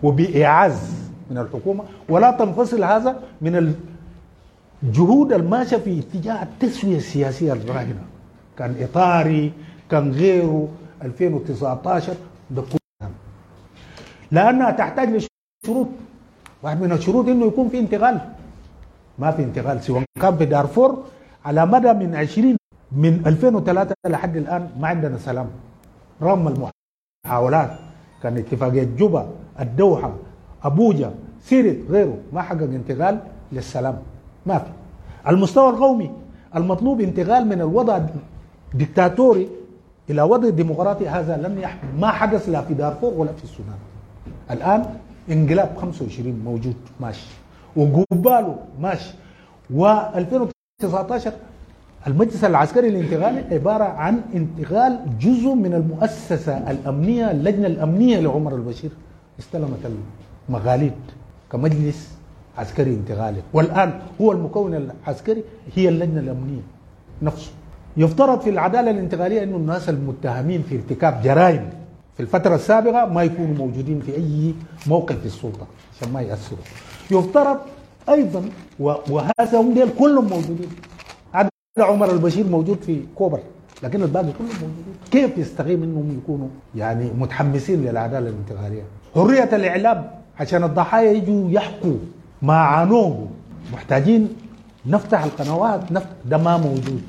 وبإعاز من الحكومة، ولا تنفصل هذا من الجهود الماشية في اتجاه التسوية السياسية الراهنة، كان إطاري كان غيره ألفين وتسعة عشر ده كله، لأنها تحتاج لشروط. واحد من الشروط إنه يكون في انتقال، ما في انتقال سواء كان في دارفور على مدى من عشرين من ألفين وثلاثة لحد الآن ما عندنا سلام رغم المحاولات، كان اتفاقية جوبا، الدوحة، أبوجا، سيرت، غيره، ما حقق انتقال للسلام، ما في. المستوى القومي المطلوب انتقال من الوضع الدكتاتوري إلى وضع ديمقراطي هذا لن يح... ما حدث لا في دارفور ولا في السودان. الآن انقلاب خمسة وعشرين موجود ماشي، وقباله ماشي، وألفين وتسعة عشر المجلس العسكري الانتقالي عبارة عن انتقال جزء من المؤسسة الأمنية، اللجنة الأمنية لعمر البشير استلمت المغاليد كمجلس عسكري انتقالي، والآن هو المكون العسكري هي اللجنة الأمنية نفسه. يفترض في العدالة الانتقالية أنه الناس المتهمين في ارتكاب جرائم في الفترة السابقة ما يكونوا موجودين في أي موقف في السلطة عشان ما يأثروا. يفترض أيضا وهذا هم ديل كلهم موجودين، عدا عمر البشير موجود في كوبر، لكن الباقي كلهم موجودين. كيف يستقيم أنهم يكونوا يعني متحمسين للعدالة الانتقالية؟ حرية الإعلام عشان الضحايا يجوا يحكوا ما عانوه، محتاجين نفتح القنوات، نفتح، ده ما موجود.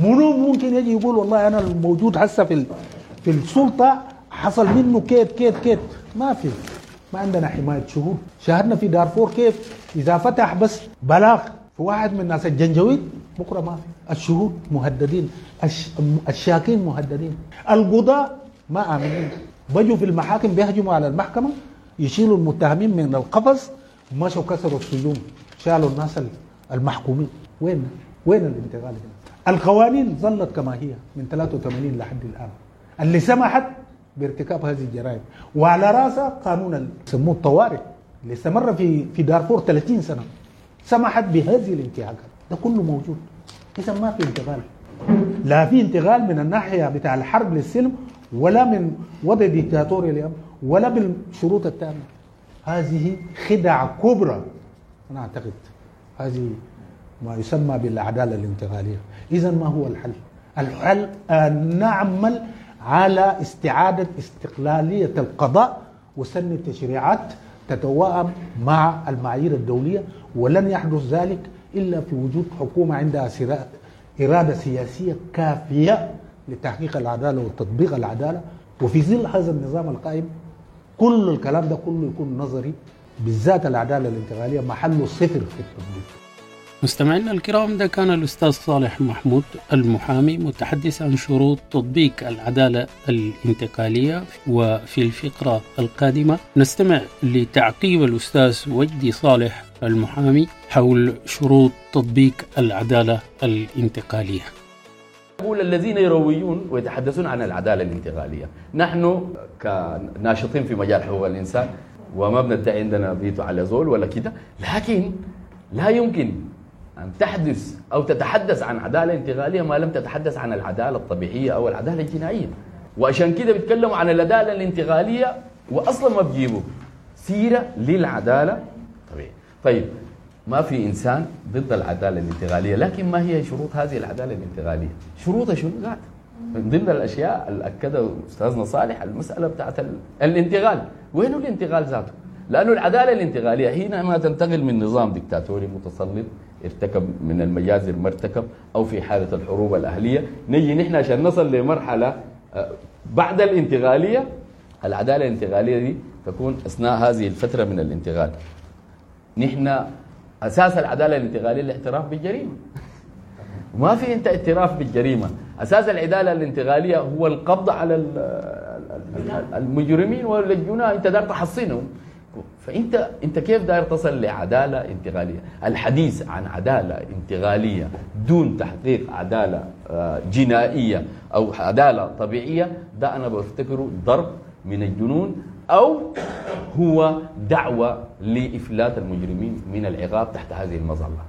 منو ممكن يجي يقول والله أنا الموجود هسه في في السلطة حصل منه كيت كيت كيت؟ ما في، ما عندنا حماية شهود. شاهدنا في دارفور كيف إذا فتح بس بلاغ في واحد من الناس الجنجويد بكرة ما في، الشهود مهددين، الش... الشاكين مهددين، القضاء ما آمنين، بجوا في المحاكم بيهجموا على المحكمة، يشيلوا المتهمين من القفص، مشوا كسروا السجون، شالوا الناس المحكومين. وين وين الانتقال هنا؟ القوانين ظلت كما هي من ثلاثة وثمانين لحد الآن اللي سمحت بارتكاب هذه الجرائم، وعلى رأسها قانون يسموه الطوارئ اللي استمر في في دارفور ثلاثين سنة سمحت بهذه الانتهاكات. ده كله موجود. إذا ما في انتقال، لا في انتقال من الناحية بتاع الحرب للسلم، ولا من وضع ديكتاتوري اليوم، ولا بالشروط التامة. هذه خدع كبرى أنا أعتقد، هذه ما يسمى بالعدالة الانتقالية. إذا ما هو الحل؟ الحل أن نعمل على استعادة استقلالية القضاء وسن تشريعات تتوائم مع المعايير الدولية، ولن يحدث ذلك إلا في وجود حكومة عندها إرادة سياسية كافية لتحقيق العدالة وتطبيق العدالة. وفي ظل هذا النظام القائم كل الكلام ده كله يكون نظري، بالذات العدالة الانتقالية محله صفر في التطبيق. مستمعينا الكرام، ده كان الأستاذ صالح محمود المحامي متحدث عن شروط تطبيق العدالة الانتقالية. وفي الفقرة القادمة نستمع لتعقيب الأستاذ وجدي صالح المحامي حول شروط تطبيق العدالة الانتقالية. أقول الذين يروجون ويتحدثون عن العدالة الانتقالية، نحن كناشطين في مجال حقوق الإنسان وما بندعي عندنا فيتو على زول ولا كده، لكن لا يمكن أن تحدث أو تتحدث عن عدالة انتقالية ما لم تتحدث عن العدالة الطبيعية أو العدالة الجنائية. وعشان كده بيتكلموا عن العدالة الانتقالية وأصلا ما بيجيبوا سيرة للعدالة الطبيعية. طيب، ما في إنسان ضد العدالة الانتقالية، لكن ما هي شروط هذه العدالة الانتقالية؟ شروطها شنو قاعدة؟ من ضمن الأشياء اللي أكدها أستاذنا صالح المسألة بتاعت الانتقال. وين الانتقال ذاته؟ لأنه العدالة الانتقالية حينما تنتقل من نظام ديكتاتوري متسلط ارتكب من المجازر ما ارتكب أو في حالة الحروب الأهلية، نجي نحن عشان نصل لمرحلة بعد الانتقالية. العدالة الانتقالية دي تكون أثناء هذه الفترة من الانتقال. نحن أساس العدالة الانتقالية الاعتراف بالجريمة. ما في أنت اعتراف بالجريمة. أساس العدالة الانتقالية هو القبض على المجرمين والجناة، أنت دار تحصينهم. فأنت أنت كيف داير تصل لعدالة انتقالية؟ الحديث عن عدالة انتقالية دون تحقيق عدالة جنائية أو عدالة طبيعية، ده أنا بفتكره ضرب من الجنون، أو هو دعوة لإفلات المجرمين من العقاب تحت هذه المظلة.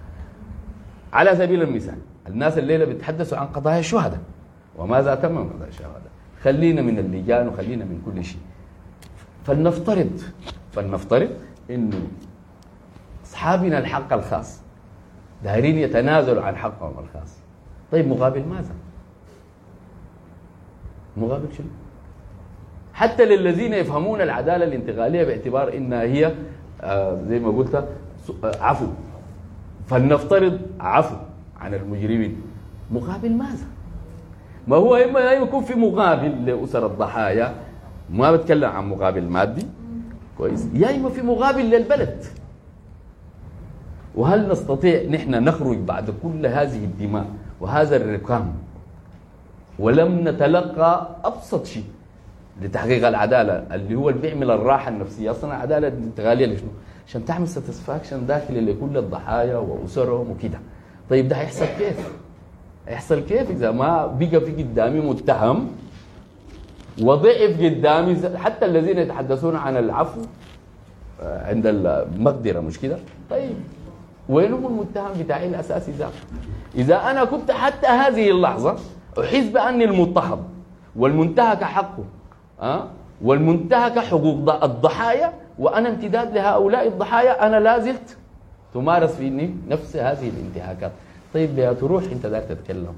على سبيل المثال، الناس الليلة بيتحدثوا عن قضايا الشهداء وماذا تم من قضايا الشهداء. خلينا من اللجان وخلينا من كل شيء. فلنفترض فلنفترض إنه أصحابنا الحق الخاص دايرين يتنازلوا عن حقهم الخاص. طيب مقابل ماذا؟ مقابل شنو؟ حتى للذين يفهمون العدالة الانتقالية باعتبار إنها هي آه زي ما قلت عفو، فلنفترض عفو عن المجرمين، مقابل ماذا؟ ما هو إما يكون في مقابل لأسر الضحايا، ما بتكلم عن مقابل مادي كويس، يا إما في مقابل للبلد. وهل نستطيع نحن نخرج بعد كل هذه الدماء وهذا الركام ولم نتلقى أبسط شيء لتحقيق العدالة اللي هو اللي بيعمل الراحة النفسية. أصلا العدالة الانتقالية لشنو؟ عشان تعمل satisfaction داخلي لكل الضحايا وأسرهم وكده. طيب ده هيحصل كيف؟ هيحصل كيف إذا ما بقى في قدامي متهم وضعف قدامي؟ حتى الذين يتحدثون عن العفو عند المقدرة، مش كده؟ طيب وين هو المتهم بتاعي الأساسي ذاته؟ إذا أنا كنت حتى هذه اللحظة أحس بأني المضطهد والمنتهك حقه أه؟ والمنتهك حقوق الضحايا، وأنا امتداد لهؤلاء الضحايا، أنا لازلت تمارس فيني نفس هذه الانتهاكات. طيب يا تروح أنت داك تتكلم.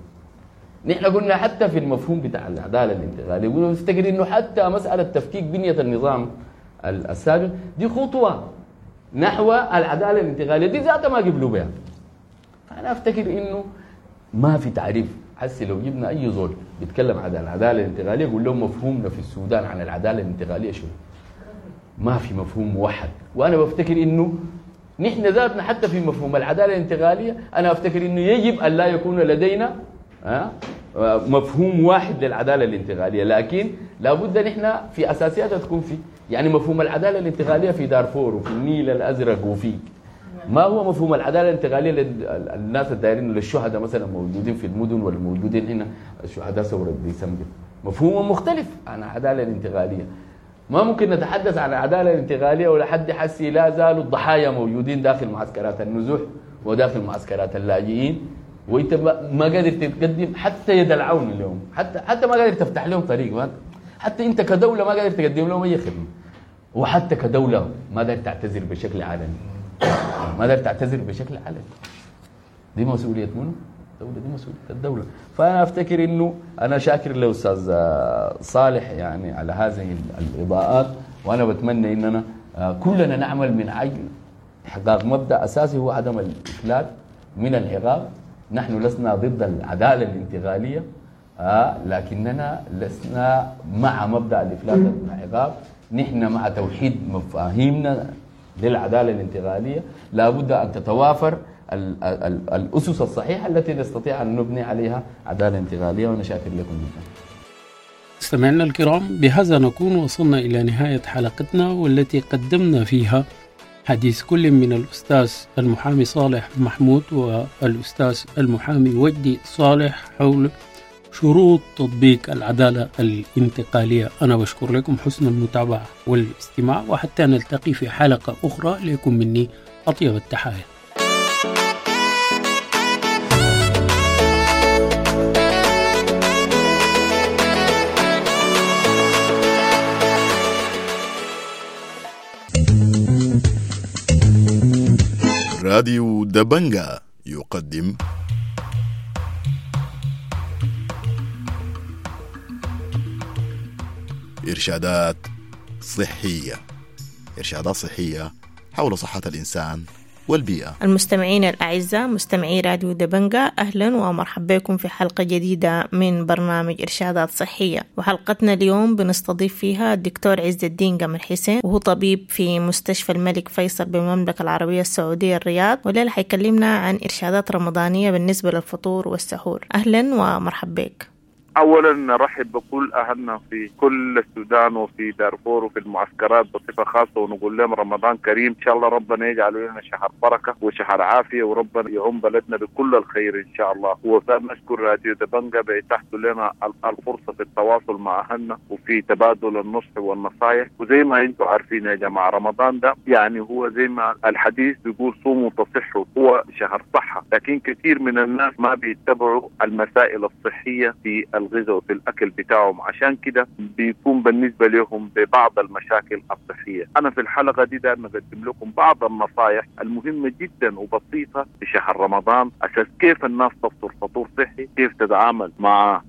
نحن قلنا حتى في المفهوم بتاع العدالة الانتقالية، قلنا نفتكر إنه حتى مسألة تفكيك بنية النظام السابق دي خطوة نحو العدالة الانتقالية، دي ذاتها ما قبلوا بها. فأنا أفتكر إنه ما في تعريف. حسي لو جبنا أي زول بيتكلم عن العدالة الانتقالية يقول لهم مفهومنا في السودان عن العدالة الانتقالية شو؟ ما في مفهوم موحد. وأنا بفتكر إنه نحن ذاتنا حتى في مفهوم العدالة الانتقالية أنا أفتكر إنه يجب أن لا يكون لدينا مفهوم واحد للعدالة الانتقالية، لكن لابد نحن في أساسياتها تكون في، يعني مفهوم العدالة الانتقالية في دارفور وفي النيل الأزرق وفي ما هو مفهوم العدالة الانتقالية للناس الدايرين للشهداء مثلا موجودين في المدن والموجودين هنا الشهداء ثورة ديسمبر، مفهوم مختلف عن العدالة الانتقالية. ما ممكن نتحدث عن العدالة الانتقالية ولا حد حسي لا زالوا الضحايا موجودين داخل معسكرات النزوح وداخل معسكرات اللاجئين، وانت ما قادر تقدم حتى يد العون اليوم، حتى حتى ما قادر تفتح لهم طريق، حتى انت كدولة ما قادر تقدم لهم اي خدمة، وحتى كدولة ما قادر تعتذر بشكل علني، ما قادر تعتذر بشكل علني. دي مسؤولية منو؟ الدولة، دي مسؤولية الدولة. فأنا أفتكر إنه أنا شاكر لأستاذ صالح يعني على هذه الإضاءات، وأنا بتمنى إننا كلنا نعمل من أجل إحقاق مبدأ أساسي هو عدم الإفلات من العقاب. نحن لسنا ضد العدالة الانتقالية، آه لكننا لسنا مع مبدأ الإفلات من العقاب. نحن مع توحيد مفاهيمنا للعدالة الانتقالية. لابد أن تتوافر ال ال الأسس الصحيحة التي نستطيع أن نبني عليها عدالة انتقالية، وأنا شاكر لكم جدا. مستمعينا الكرام، بهذا نكون وصلنا إلى نهاية حلقتنا والتي قدمنا فيها حديث كل من الأستاذ المحامي صالح محمود والأستاذ المحامي وجدي صالح حول شروط تطبيق العدالة الانتقالية. أنا بشكر لكم حسن المتابعة والاستماع، وحتى نلتقي في حلقة أخرى لكم مني أطيب التحايا. راديو دبنجا يقدم إرشادات صحية، إرشادات صحية حول صحة الإنسان والبيئة. المستمعين الأعزاء مستمعي راديو دبنجا، أهلا ومرحبا بكم في حلقة جديدة من برنامج إرشادات صحية. وحلقتنا اليوم بنستضيف فيها الدكتور عز الدين قمر حسين، وهو طبيب في مستشفى الملك فيصل بالمملكة العربية السعودية الرياض، والليلة حيكلمنا عن إرشادات رمضانية بالنسبة للفطور والسحور. أهلا ومرحبا بك. أولا نرحب بكل أهلنا في كل السودان وفي دارفور وفي المعسكرات بصفة خاصة، ونقول لهم رمضان كريم إن شاء الله. ربنا يجعل لنا شهر بركة وشهر عافية، وربنا يعم بلدنا بكل الخير إن شاء الله. ونشكر راديو دبنجا بإتاحته لنا الفرصة في التواصل مع أهلنا وفي تبادل النصح والنصائح. وزي ما أنتم عارفين يا جماعة، رمضان ده يعني هو زي ما الحديث بيقول صوموا تصحوا، هو شهر صحة، لكن كثير من الناس ما بيتبعوا المسائل الصحية في الغذاء وفي الأكل بتاعهم، عشان كده بيكون بالنسبة لهم ببعض المشاكل الصحية. أنا في الحلقة دي دايما أقدم لكم بعض النصائح المهمة جدا وبسيطة في شهر رمضان، أساس كيف الناس تفطر فطور صحي، كيف تتعامل مع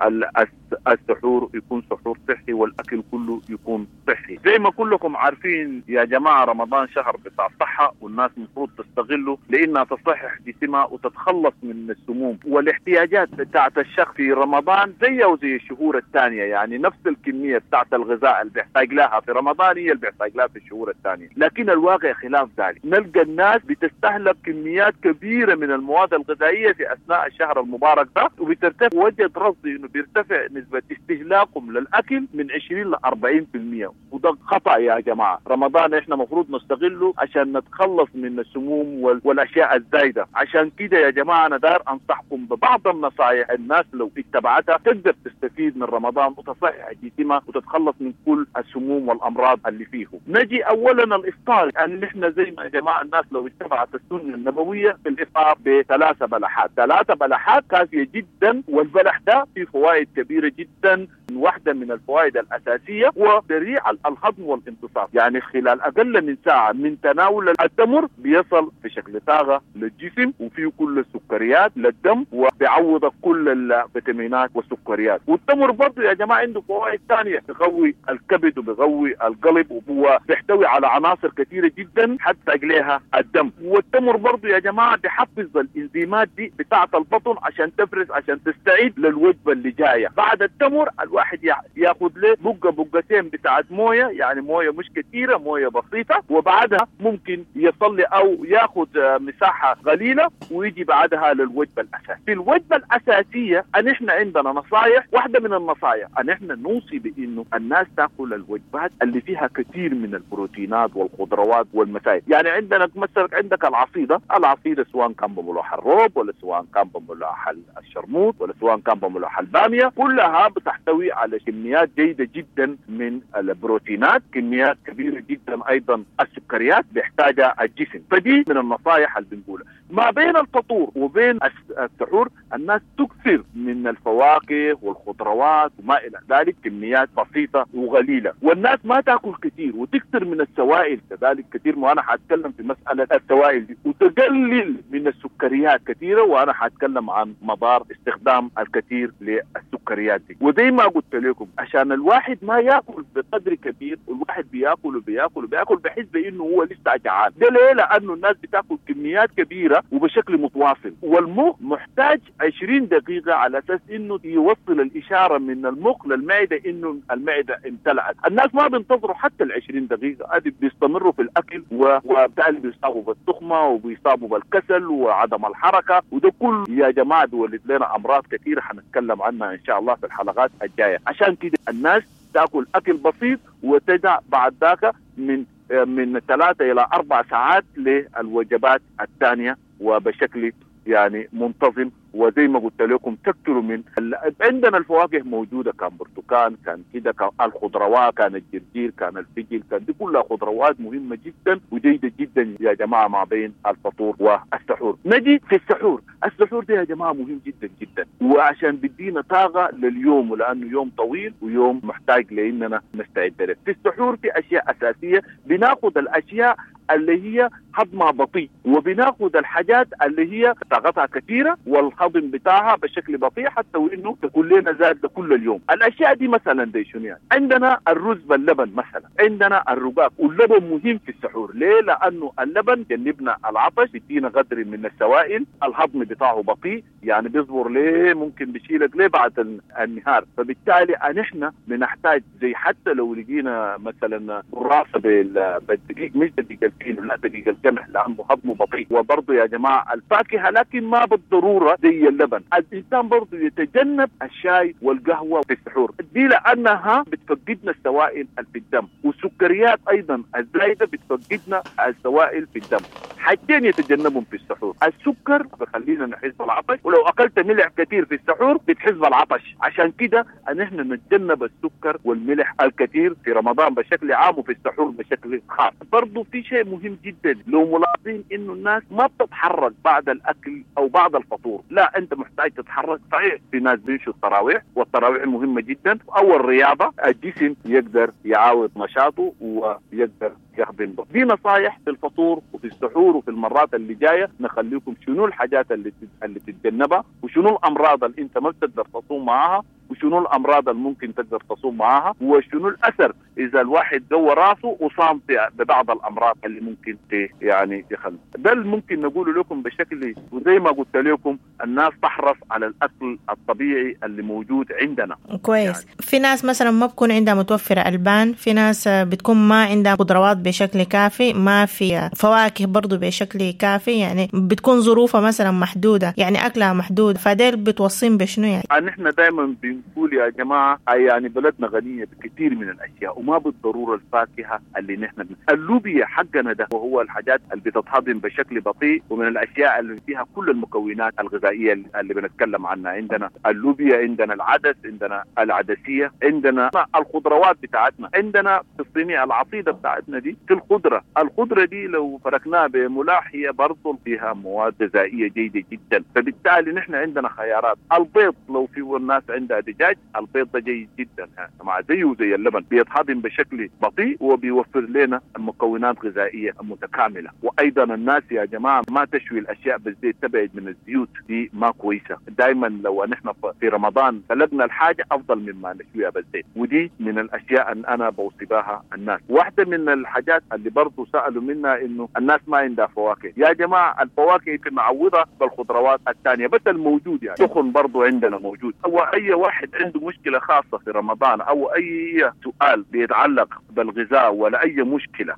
السحور يكون سحور صحي، والأكل كله يكون صحي. زي ما كلكم عارفين يا جماعة، رمضان شهر بتاع صحة، والناس المفروض تستغله لأنها تصحح جسمها وتتخلص من السموم والاحتياجات بتاعت الشخص في رمضان. زي زيها وزي الشهور الثانية، يعني نفس الكمية بتاعت الغذاء اللي بيحتاج لها في رمضان هي اللي بيحتاج لها في الشهور الثانية. لكن الواقع خلاف ذلك، نلقى الناس بتستهلك كميات كبيرة من المواد الغذائية في اثناء الشهر المبارك ده، وبترتفع وجد رصد انه بيرتفع نسبه استهلاكهم للاكل من عشرين ل أربعين بالمئة، وده خطا يا جماعة. رمضان احنا مفروض نستغله عشان نتخلص من السموم والاشياء الزايدة. عشان كده يا جماعة انا داير انصحكم ببعض النصائح الناس لو اتبعتها تقدر تستفيد من رمضان وتصحح جسمها وتتخلص من كل السموم والامراض اللي فيه. نجي اولا الافطار، يعني احنا زي ما يا جماعة الناس لو اتبعت السنة النبوية في الافطار بثلاثة بلحات، ثلاثة بلحات كافيه جدا، والبلح ده فيه فوائد كبيرة جدا. واحدة من الفوائد الاساسية هو سريع الهضم والامتصاص، يعني خلال اقل من ساعة من تناول التمر بيصل في شكل طاقة للجسم وفيه كل السكريات للدم وبيعوضك كل الفيتامينات والسكريات. والتمر برضه يا جماعة عنده فوائد ثانية، بيقوي الكبد وبيقوي القلب وهو بيحتوي على عناصر كثيرة جدا حتى لها الدم. والتمر برضه يا جماعة بيحفز الانزيمات دي بتاعه البطن عشان تفرز عشان تستعيد للوجبه اللي جاية. بعد التمر الواحد ياخذ له بقه بقتين بتاعت مويه، يعني مويه مش كثيرة، مويه بسيطة، وبعدها ممكن يصلي او ياخذ مساحة قليله ويجي بعدها للوجبه الاساسية. في الوجبة الاساسية ان احنا عندنا نصائح، واحدة من النصائح ان احنا نوصي بانه الناس تاكل الوجبات اللي فيها كثير من البروتينات والخضروات والمسائل. يعني عندنا مثلا عندك العصيده، العصيده سواء كان بملوح الروب ولا سواء كان بملوح الشرموط ولا سواء كان بملوح الباميه، كلها بتحتوي على كميات جيدة جدا من البروتينات، كميات كبيرة جدا ايضا السكريات بيحتاجها الجسم. فدي من النصائح اللي بنقولها. ما بين الفطور وبين السحور الناس تكثر من الفواكه والخضروات وما الى ذلك، كميات بسيطة وقليله، والناس ما تاكل كثير وتكثر من السوائل كذلك كثير، وانا حاتكلم في مسالة السوائل دي، وتقلل من السكريات كثيرة، وانا حاتكلم عن مضار استخدام الكثير للسكريات دي. وزي ما قلت لكم عشان الواحد ما ياكل بقدر كبير، والواحد بياكل وبياكل وبياكل بحس بانه هو لسه جعان. ده ليه؟ لانه الناس بتاكل كميات كبيرة وبشكل متواصل، والمخ محتاج عشرين دقيقة على اساس انه يوصل الاشارة من المخ للمعدة انه المعدة امتلأت. الناس ما بينتظروا حتى ال عشرين دقيقة، ادي بيستمروا في الاكل وبالتالي بيصابوا بالتخمه وبيصابوا بالكسل وعدم الحركة، وده كله يا جماعة بيولد لنا امراض كثيرة حنتكلم عنها ان شاء الله في الحلقات الجاية. عشان كده الناس تاكل اكل بسيط وتدع بعد ذاك من من ثلاثة الى اربع ساعات للوجبات الثانية وبشكل يعني منتظم. وزي ما قلت لكم تكثروا من ال... عندنا الفواكه موجودة، كان برتقال، كان كده، كان الخضروات، كان الجرجير، كان الفجل، كان دي كلها خضروات مهمة جدا وجيده جدا يا جماعة ما بين الفطور والسحور. نجي في السحور، السحور ده يا جماعة مهم جدا جدا، وعشان بيدينا طاقة لليوم، ولانه يوم طويل ويوم محتاج لاننا نستعد له. في السحور في اشياء اساسية، بناخذ الاشياء اللي هي هضمها بطيء، وبناخذ الحاجات اللي هي طاقتها كثيرة والهضم بتاعها بشكل بطيء حتى وانه تكون لنا زاد كل اليوم. الاشياء دي مثلا دي شنو يعني؟ عندنا الرز باللبن مثلا، عندنا الرقاق، واللبن مهم في السحور. ليه؟ لانه اللبن جنبنا العطش، بيدينا قدر من السوائل، الهضم بتاعه بطيء، يعني بيصبر ليه ممكن بيشيلك ليه بعد النهار، فبالتالي نحن بنحتاج زي حتى لو لقينا مثلا قراصه بالدقيق، مش دقيق الفينو، لا دقيق القمح، لانه هضمه بطيء. وبرضه يا جماعة الفاكهة، لكن ما بالضرورة زي اللبن. الانسان برضه يتجنب الشاي والقهوة في السحور دي لانها بتفقدنا السوائل في الدم، والسكريات ايضا الزايدة بتفقدنا السوائل في الدم. حاجتين يتجنبهم في السحور، السكر بخلينا نحس بالعطش، ولو اكلت ملح كثير في السحور بتحس بالعطش. عشان كده ان احنا نتجنب السكر والملح الكثير في رمضان بشكل عام وفي السحور بشكل خاص. برضه في شيء مهم جدا لو ملاحظين انه الناس ما بتتحرك بعد الاكل او بعد الفطور، لا انت محتاج تتحرك. صحيح في ناس بيمشوا التراويح، والتراويح مهمة جدا، او الرياضة، الجسم يقدر يعاود نشاطه ويقدر يهضم به. دي نصايح في الفطور وفي السحور وفي المرات اللي جاية نخليكم شنو الحاجات اللي اللي تتجنبها، وشنو الامراض اللي انت ما بتقدر تصوم معاها، وشنو الأمراض اللي ممكن تقدر تصوم معاها، وشنو الأثر إذا الواحد قوى راسه وصام ببعض الأمراض اللي ممكن يعني يخلي. ده اللي ممكن نقوله لكم بشكل، وزي ما قلت لكم الناس تحرص على الأكل الطبيعي اللي موجود عندنا. كويس يعني. في ناس مثلا ما بكون عندها متوفرة ألبان، في ناس بتكون ما عندها خضروات بشكل كافي، ما في فواكه برضو بشكل كافي، يعني بتكون ظروفها مثلا محدودة، يعني أكلها محدود، فديل بتوصين بشنو يعني؟ نحن دايما بنقول يا جماعة يعني بلدنا غنية بكثير من الأشياء، وما بالضرورة الفاكهة اللي نحن بن... اللوبيا حقنا ده وهو الحاجات اللي بتتهضم بشكل بطيء، ومن الأشياء اللي فيها كل المكونات الغذائية اللي بنتكلم عنها. عندنا اللوبيا، عندنا العدس، عندنا العدسية، عندنا الخضروات بتاعتنا، عندنا في الصينية العصيدة بتاعتنا دي في الخضرة. الخضرة دي لو فركناها بملاح هي برضو فيها مواد غذائية جيدة جدا، فبالتالي نحن عندنا خيارات. البيض لو في الناس عندها دجاج، البيض ده جيد جدا مع زيه زي اللبن، بيتهضم بشكل بطيء وبيوفر لنا مكونات غذائية متكاملة. وأيضا الناس يا جماعة ما تشوي الأشياء بالزيت، تبعد من الزيوت دي ما كويسة. دايما لو نحن في رمضان سلقنا الحاجة أفضل مما نشويها بالزيت، ودي من الأشياء أن أنا بوصي بها الناس. واحدة من الحاجات اللي برضو سألوا منها إنه الناس ما عندها فواكه. يا جماعة الفواكه يمكن نعوضها بالخضروات الثانية، بس الموجود يعني سخن برضو عندنا موجود. أو أي واحد عنده مشكلة خاصة في رمضان أو أي سؤال بيتعلق بالغذاء ولا أي مشكلة،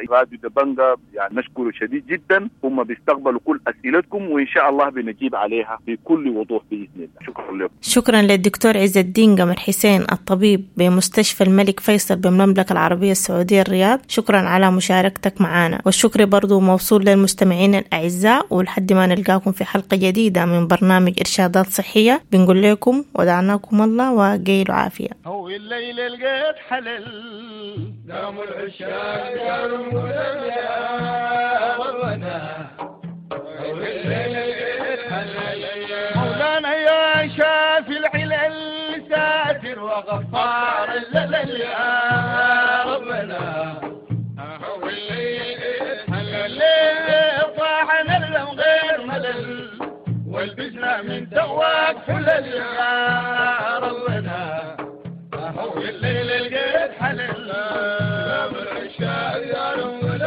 راديو دبنجا يعني نشكره شديد جدا، هم بيستقبلوا كل أسئلتكم وإن شاء الله بنجيب عليها بكل وضوح بإذن الله. شكرا لكم. شكرا للدكتور عز الدين قمر حسين الطبيب بمستشفى الملك فيصل بالمملكة العربية السعودية الرياض، شكرا على مشاركتك معنا، والشكر برضو موصول للمستمعين الأعزاء. ولحد ما نلقاكم في حلقة جديدة من برنامج إرشادات صحية، بنقول لكم ودعناكم الله وقيلوا عافية. هو الليل لقيت حلل دام العشاق قالوا يا ربنا، هو الليل لقيت حلل مولانا يا شافي العلل ساتر وغفار الليل يا ربنا، هو الليل لقيت حلل طاعنا غير ملل والبسنا من تواك حلل يا